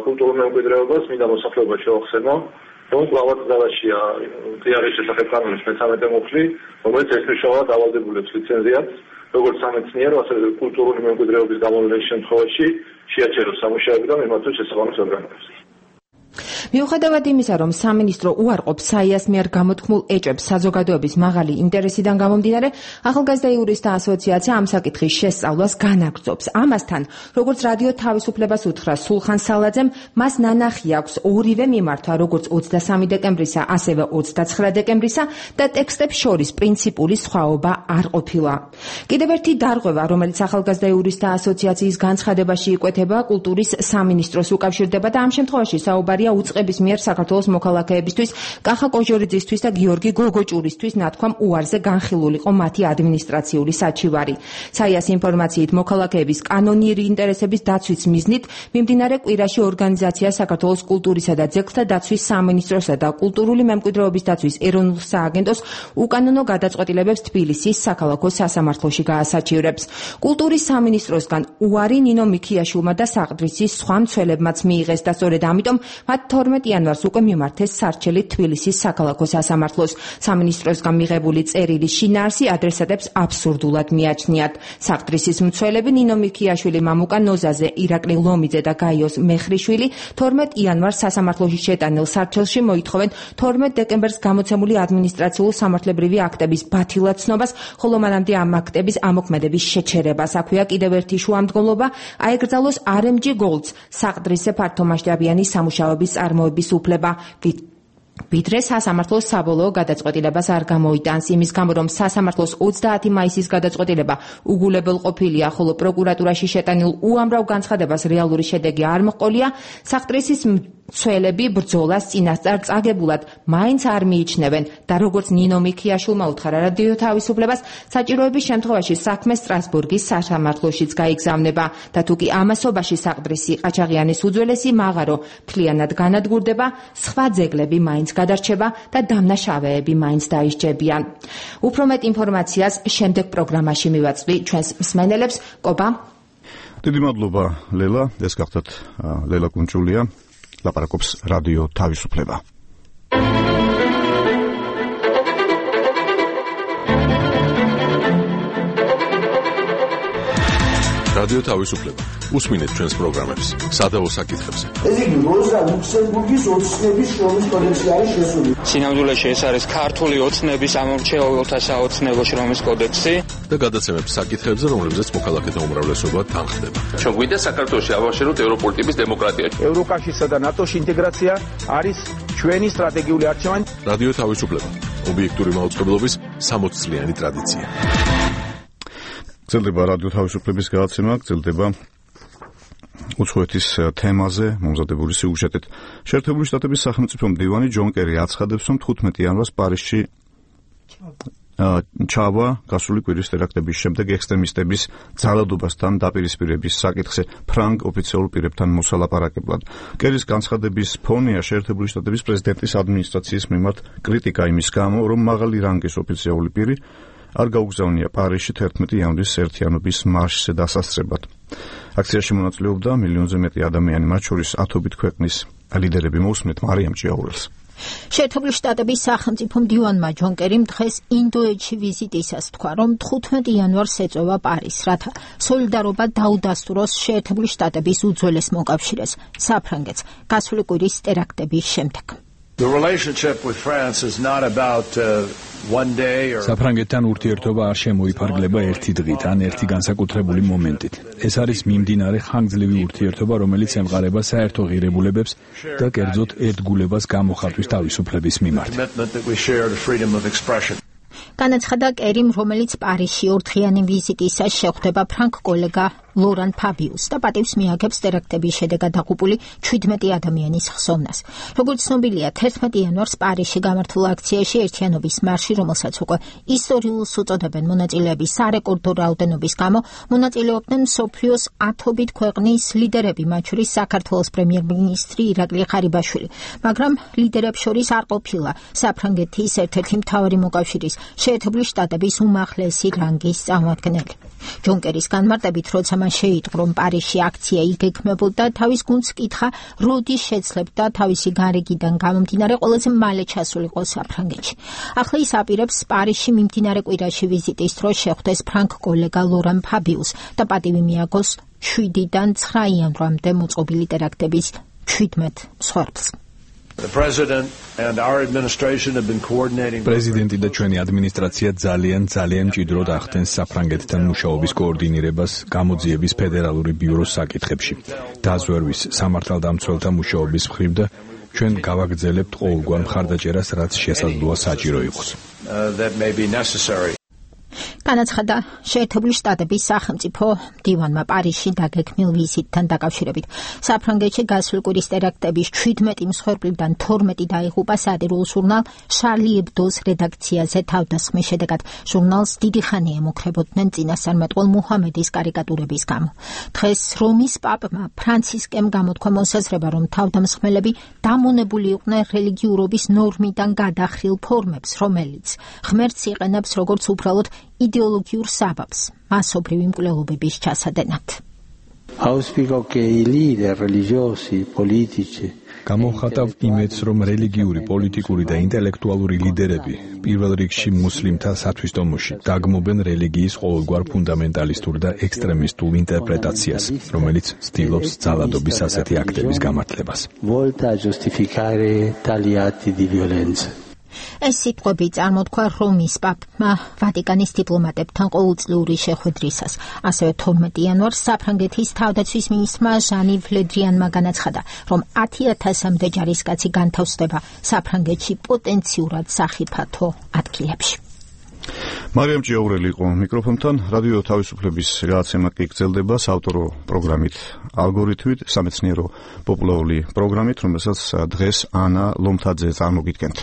კულტურულ მემკვიდრეობას, მინდა მოსახლეობა შევახსენო, რომ კლავად ძალაშია წიაღის შესახებ კანონის 13 მუხლი, რომელიც ერთმნიშვნელოვნად ავალდებულებს ლიცენზიატს, როგორც სამეცნიერო, ასევე კულტურული მემკვიდრეობის გამოვლენის შემთხვევაში შეაჩეროს სამუშაოები და მიმართოს შესაბამის ორგანოებს. მიუხედავად იმისა, რომ სამინისტრო უარყოფს საიას მიერ გამოთქმულ ეჭვებს საზოგადოების მაღალი ინტერესიდან გამომდინარე, ახალგაზრდა იურისტთა ასოციაცია ამ საკითხის შესწავლას განაგრძობს. ამასთან, როგორც რადიო თავისუფლებას უთხრა სულხან სალაძემ, მას ნანახი აქვს ორივე მიმართვა, როგორც 23 დეკემბრისა, ასევე 29 დეკემბრისა და ტექსტებს შორის პრინციპული სხვაობა არ ყოფილა. კიდევ ერთი დარღვევა, რომელიც ახალგაზრდა იურისტთა ასოციაციის განცხადებაში იკვეთება, კულტურის სამინისტროს უკავშირდება და ამ შემთხვევაში საუბარია უწყების მიერ საქართველოს მოქალაქეებისთვის, კახა კოჟორიძისთვის და გიორგი გოგოჭურისთვის ნათქვამ უარზე განხილულიყო მათი ადმინისტრაციული საჩივარი. საიას ინფორმაციით მოქალაქეების კანონიერი ინტერესების დაცვის მიზნით მიმდინარე კვირაში ორგანიზაცია საქართველოს კულტურისა და ძეგლთა დაცვის სამინისტროსა და კულტურული მემკვიდრეობის დაცვის ეროვნულ სააგენტოს უკანონო გადაწყვეტილებებს თბილისის საქალაქო სასამართლოში გაასაჩივრებს. კულტურის სამინისტროსგან უარი ნინო მიქიაშვილმა და საყდრისის სხვა მცველებმაც მიიღეს და სწორედ ამიტომ მათ 12 იანვარს უკვე მიმართეს სარჩელი თბილისის საქალაქო სასამართლოს. სამინისტროსგან მიღებული წერილის შინაარსი ადრესატებს აბსურდულად მიაჩნიათ. საყდრისის მცველები ნინო მიქიაშვილი, მამუკა ნოზაზე, ირაკლი ლომიძე და გაიოს მეხრიშვილი 12 იანვარს სასამართლოში შეტანილ სარჩელში მოითხოვენ 12 დეკემბერს გამოცემული ადმინისტრაციულ სამართლებრივი აქტების ბათილად ცნობას, ხოლო მანამდე ამ აქტების ამოქმედების შეჩერებას. აქვეა კიდევ ერთი შუამდგომლობა, აეკრძალოს RMG Gold-ს საყდრისზე ფართომასშტაბიანი სამუშაოების წარმოების უფლება. ვიდრე სასამართლოს საბოლოო გადაწყვეტილებას არ გამოიტანს, იმის გამო რომ სასამართლოს 30 მაისის გადაწყვეტილება უგულებელ ყოფილია, ხოლო პროკურატურაში შეტანილ უამრავ განცხადებას რეალური შედეგი არ მოჰყოლია, საყდრისის მცველები ბრძოლას წინასწარ წაგებულად მაინც არ მიიჩნევენ და როგორც ნინო მიქიაშვილმა უთხრა რადიო თავისუფლებას, საჭიროების შემთხვევაში საქმე სტრასბურგის სასამართლოშიც გაიგზავნება და თუკი ამასობაში საყდრისი ყაჩაღიანის უძველესი მაღარო მთლიანად განადგურდება, სხვა ძეგლები მაინც გადარჩება და დამნაშავეები მაინც დაისჯებიან. უფრო მეტ ინფორმაციას შემდეგ პროგრამაში მივაწვდი ჩვენს მსმენელებს. კობა. დიდი მადლობა ლელა, ეს გახდათ ლელა კუნჭულია, ლაპარაკობს რადიო თავისუფლება. რადიო თავისუფლება. უსმინეთ ჩვენს პროგრამებს სადავო საკითხებზე. ეს იგი როზა ლუქსემბურგის ოცნების შრომის კოდექსი არის შესული. სინამდვილეში ეს არის ქართული ოცნების ამორჩეულთა საოცნებო შრომის კოდექსი და გადაცემებს საკითხებზე, რომლებზეც მოქალაქეთა უმრავლესობა თანხდება. ჩვენ გვინდა საქართველოში ავაშენოთ ევროპული ტიპის დემოკრატია. ევროკავშირსა და ნატოში ინტეგრაცია არის ჩვენი სტრატეგიული არჩევანი. რადიო თავისუფლება. ობიექტური მაუწყებლობის 60 ტრადიცია. გრძელდება რადიო თავისუფლების გადაცემა, გრძელდება უცხოეთის თემაზე მომზადებული სიუჟეტით. შეერთებული შტატების სახელმწიფო მდივანი ჯონ კერი აცხადებს, რომ 15 იანვარს პარიზში ჩავა გასული კვირის ტერაქტების შემდეგ ექსტრემისტების ძალადობასთან დაპირისპირების საკითხზე ფრანგ ოფიციალურ პირებთან მოსალაპარაკებლად. კერის განცხადების ფონია შეერთებული შტატების პრეზიდენტის ადმინისტრაციის მიმართ კრიტიკა იმის გამო, რომ მაღალი რანგის ოფიციალური პირი არ გაუგზავნია პარიზში 11 იანვრის ერთიანობის მარშზე დასასწრებად. აქციაში მონაწილეობდა მილიონზე მეტი ადამიანი, მათ შორის ათობით ქვეყნის ლიდერები. მოусმენთ მარიამ ჭიაურელს. შეერთებული შტატების სახელმწიფო მდივანმა ჯონ კერიმ დღეს ინდოეთში ვიზიტისას თქვა, რომ 15 იანვარს ეწევა პარიზს, რათა სოლიდარობა დაუდასტუროს შეერთებული შტატების უძველეს მოკავშირეს, საფრანგეთს, გასული კვირის ტერაქტების შემდეგ. საფრანგეთთან ურთიერთობა არ შემოიფარგლება ერთი დღით ან ერთი განსაკუთრებული მომენტით. ეს არის მიმდინარე ხანგრძლივი ურთიერთობა, რომელიც ემყარება საერთო ღირებულებებს და კერძოდ ერთგულებას გამოხატვის თავისუფლების მიმართ. განაცხადა კერიმ, რომელიც პარიზში ორდღიანი ვიზიტისას შეხვდება ფრანგ კოლეგა ლორან ფაბიუს და პატივს მიაგებს ტერაქტების შედეგად დაღუპული 17 ადამიანის ხსოვნას. როგორც ცნობილია, 11 იანვარს პარიზში გამართულ აქციაში ერთიანობის მარში, რომელსაც უკვე ისტორიულს უწოდებენ მონაწილეების სარეკორდო რაოდენობის გამო, მონაწილეობდნენ მსოფლიოს ათობით ქვეყნის ლიდერები, მათ შორის საქართველოს პრემიერ-მინისტრი ირაკლი ღარიბაშვილი, მაგრამ ლიდერებს შორის არ ყოფილა საფრანგეთის ერთ-ერთი მთავარი მოკავშირის შეერთებული შტატების უმაღლესი რანგის წარმომადგენელი. ჯონ კერის განმარტებით, როცა მან შეიტყო, რომ პარიზში აქცია იგეგმებოდა, თავის გუნდს კითხა, როდის შეცლებდა თავისი გარიგიდან გამომდინარე ყველაზე მალე ჩასულიყო საფრანგეთში. ახლა ის აპირებს პარიზში მიმდინარე კვირაში ვიზიტის დროს შეხვდეს ფრანგ კოლეგა ლორან ფაბიუს და პატივი მიაგოს 7-დან 9 იანვრამდე მოწყობილი ტერაქტების 17 მსხვერპლს. პრეზიდენტი და ჩვენი ადმინისტრაცია ძალიან მჭიდროდ ახდენს საფრანგეთთან მუშაობის კოორდინირებას გამოძიების ფედერალური ბიუროს საკითხებში. დაზვერვის სამართალდამცველთა მუშაობის მხრივ და ჩვენ გავაგრძელებთ ყოველგვარ მხარდაჭერას, რაც შესაძლოა საჭირო იყოს. განაცხადა შეერთებული შტატების სახელმწიფო მდივანმა პარიზში დაგეგმილ ვიზიტთან დაკავშირებით. საფრანგეთში გასული კვირის ტერაქტების 17 მსხვერპლიდან 12 დაიღუპა სატირულ ჟურნალ შარლი ებდოს რედაქციაზე თავდასხმის შედეგად. ჟურნალს დიდი ხანი ემუქრებოდნენ წინასწარმეტყველ მუჰამედის კარიკატურების გამო. დღეს რომის პაპმა ფრანცისკემ გამოთქვა მოსაზრება, რომ თავდამსხმელები დამონებული იყვნენ რელიგიურობის ნორმიდან გადახრილ ფორმებს, რომელიც ღმერთს იყენებს როგორც უბრალოდ იდეოლოგიურ საბაბს მასობრივი მკვლელობების ჩასადენად. გამოვხატავ იმედს, რომ რელიგიური, პოლიტიკური და ინტელექტუალური ლიდერები პირველ რიგში მუსლიმთა სათვისტომოში დაგმობენ რელიგიის ყოველგვარ ფუნდამენტალისტურ და ექსტრემისტულ ინტერპრეტაციას, რომელიც ცდილობს ძალადობის ასეთი აქტების გამართლებას. ეს სიტყვები წარმოთქვა რომის პაპმა ვატიკანის დიპლომატებთან ყოველწლიური შეხვედრისას. ასევე 12 იანვარს საფრანგეთის თავდაცვის მინისტრმა ჟანი ვლედრიანმა განაცხადა, რომ 10,000-მდე ჯარისკაცი განთავსდება საფრანგეთში პოტენციურად სახიფათო ადგილებში. მარიამ ჭიაურელი იყო მიკროფონთან. რადიო თავისუფლების გადაცემა კი გრძელდება საავტორო პროგრამით ალგორითმით, სამეცნიერო პოპულარული პროგრამით, რომელსაც დღეს ანა ლომთაძე წარმოგიდგენთ.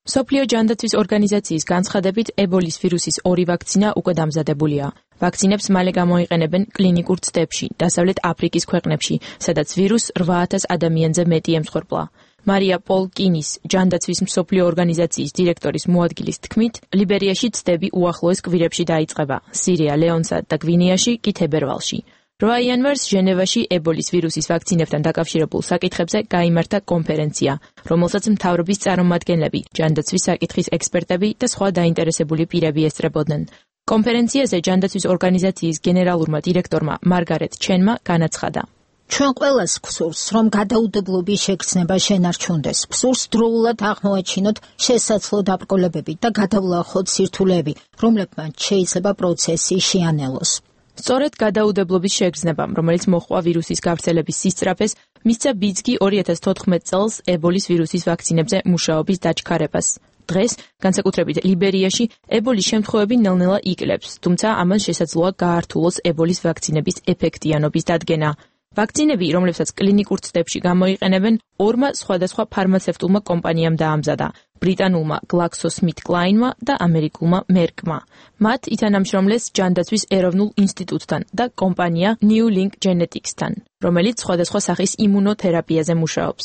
მსოფლიო ჯანდაცვის ორგანიზაციის განცხადებით, ებოლის ვირუსის 2 ვაქცინა უკვე დამზადებულია. ვაქცინებს მალე გამოიყენებენ კლინიკურ ცდებში, დასავლეთ აფრიკის ქვეყნებში, სადაც ვირუსს 8,000 ადამიანზე მეტი ემსხვერპლა. მარია პოლ კინის, ჯანდაცვის მსოფლიო ორგანიზაციის დირექტორის მოადგილის თქმით, ლიბერიაში ცდები უახლოეს კვირებში დაიწყება, სირია, ლეონსა და გვინეაში კი თებერვალში. 8 იანვარს ჟენევაში ებოლის ვირუსის ვაქცინებთან დაკავშირებულ საკითხებზე გაიმართა კონფერენცია, რომელსაც მთავრობის წარმომადგენლები, ჯანდაცვის საკითხის ექსპერტები და სხვა დაინტერესებული პირები ესწრებოდნენ. კონფერენციაზე ჯანდაცვის ორგანიზაციის გენერალურმა დირექტორმა მარგარეტ ჩენმა განაცხადა: ჩვენ ყველას გვსურს, რომ გადაუდებლობის შეგრძნება შენარჩუნდეს. გვსურს დროულად აღმოაჩინოთ შესაძლო დაბრკოლებები და გადავლახოთ სირთულეები, რომლებმაც შეიძლება პროცესი შეანელოს. სწორედ გადაუდებლობის შეგრძნებამ, რომელიც მოჰყვა ვირუსის გავრცელების სისწრაფეს, მისცა ბიძგი 2014 წელს ებოლის ვირუსის ვაქცინებზე მუშაობის დაჩქარებას. დღეს, განსაკუთრებით ლიბერიაში, ებოლის შემთხვევები ნელ-ნელა იკლებს, თუმცა ამან შესაძლოა გაართულოს ებოლის ვაქცინების ეფექტიანობის დადგენა. ვაქცინები, რომლებსაც კლინიკურ ცდებში გამოიყენებენ, ორმა სხვადასხვა ფარმაცევტულმა კომპანიამ დაამზადა: ბრიტანულმა GlaxoSmithKline-მა და ამერიკულმა Merck-მა. მათ ითანამშრომლეს ჯანდაცვის ეროვნულ ინსტიტუტთან და კომპანია New-Link Genetics-თან, რომელიც სხვადასხვა სახის იმუნოთერაპიაზე მუშაობს.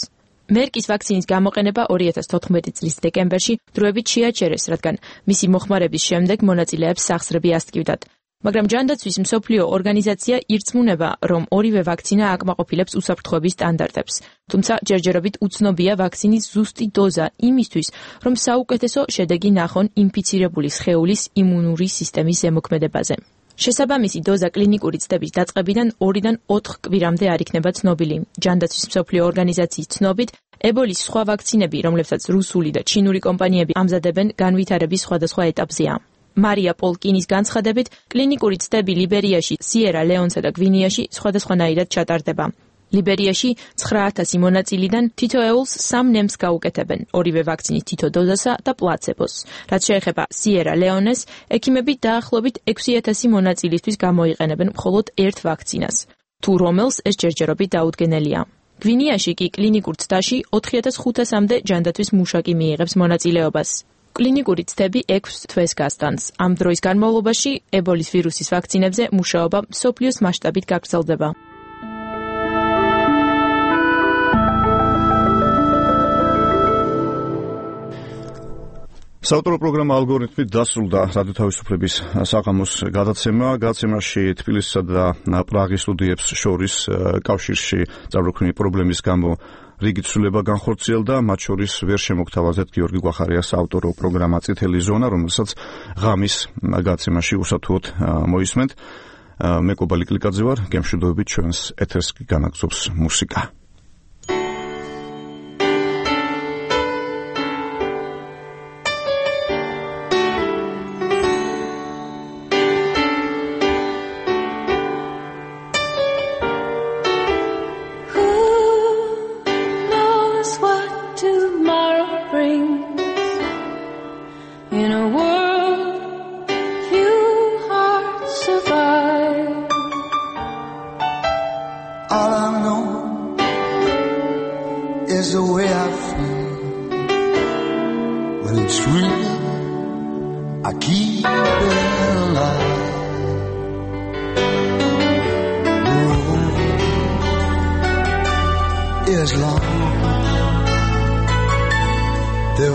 Merck-ის ვაქცინის გამოყენება 2014 წლის დეკემბერში დროებით შეაჩერეს, რადგან მისი მოხმარების შემდეგ მონაწილეებს სახსრები ასტკივდათ. მაგრამ ჯანდაცვის მსოფლიო ორგანიზაცია ირწმუნება, რომ ორივე ვაქცინა აკმაყოფილებს უსაფრთხოების სტანდარტებს. თუმცა ჯერჯერობით უცნობია ვაქცინის ზუსტი დოზა იმისთვის, რომ საუკეთესო შედეგი ნახონ ინფიცირებული სხეულის იმუნური სისტემის ზემოქმედებაზე. შესაბამისი დოზა კლინიკური ცდების დაწყებიდან 2-დან 4 კვირამდე არ იქნება ცნობილი. ჯანდაცვის მსოფლიო ორგანიზაციის ცნობით, ებოლის სხვა ვაქცინები, რომლებსაც რუსული და ჩინური კომპანიები ამზადებენ, განვითარების სხვადასხვა ეტაპზეა. მარია პოლკინის განცხადებით, კლინიკური ცდები ლიბერიაში, სიერა-ლეონსა და გვინეაში სხვადასხვანაირად ჩატარდება. ლიბერიაში 9000 მონაწილიდან თითოეულს 3 ნემს გაუკეთებენ, ორივე ვაქცინის თითო დოზასა და პლაცებოს. რაც შეეხება სიერა-ლეონეს, ექიმები დაახლოებით 6000 მონაწილისთვის გამოიყენებენ მხოლოდ ერთ ვაქცინას, თუ რომელს ეს ჯერჯერობით დაუდგენელია. გვინეაში კი კლინიკურ ცდაში 4500-მდე ჯანდაცვის მუშაკი მიიღებს მონაწილეობას. კლინიკური ცდები 6 თვეს გასტანს. ამ დროის განმავლობაში ებოლის ვირუსის ვაქცინებზე მუშაობა მსოფლიოს მასშტაბით გაგრძელდება. საავტორო პროგრამა ალგორითმით დასრულდა რადიო თავისუფლების საღამოს გადაცემა. გადაცემაში თბილისსა და პრაღის სტუდიებს შორის კავშირში წარუქმნილი პრობლემის გამო რიგი ცვლილება განხორციელდა, მათ შორის ვერ შემოგთავაზეთ გიორგი გვახარიას საავტორო პროგრამა წითელი ზონა, რომელსაც ღამის გადაცემაში უსათუოდ მოისმენთ. მე კობალი კლიკაძე ვარ, გემშვიდობებით ჩვენს ეთერს განაგზობს მუსიკა. There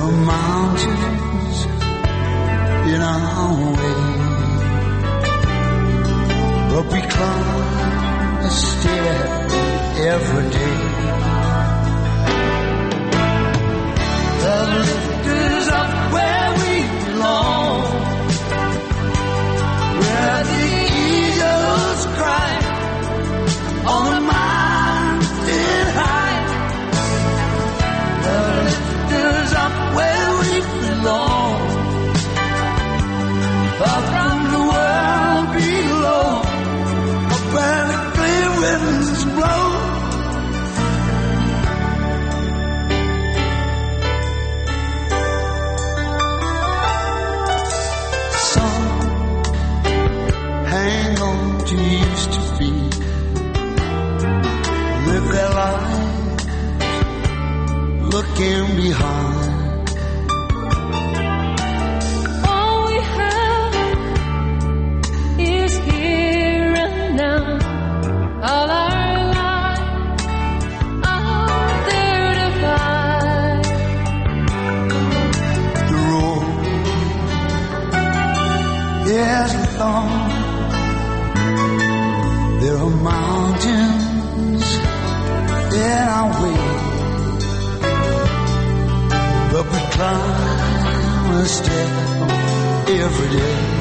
are mountains in our way, but we climb a step every day.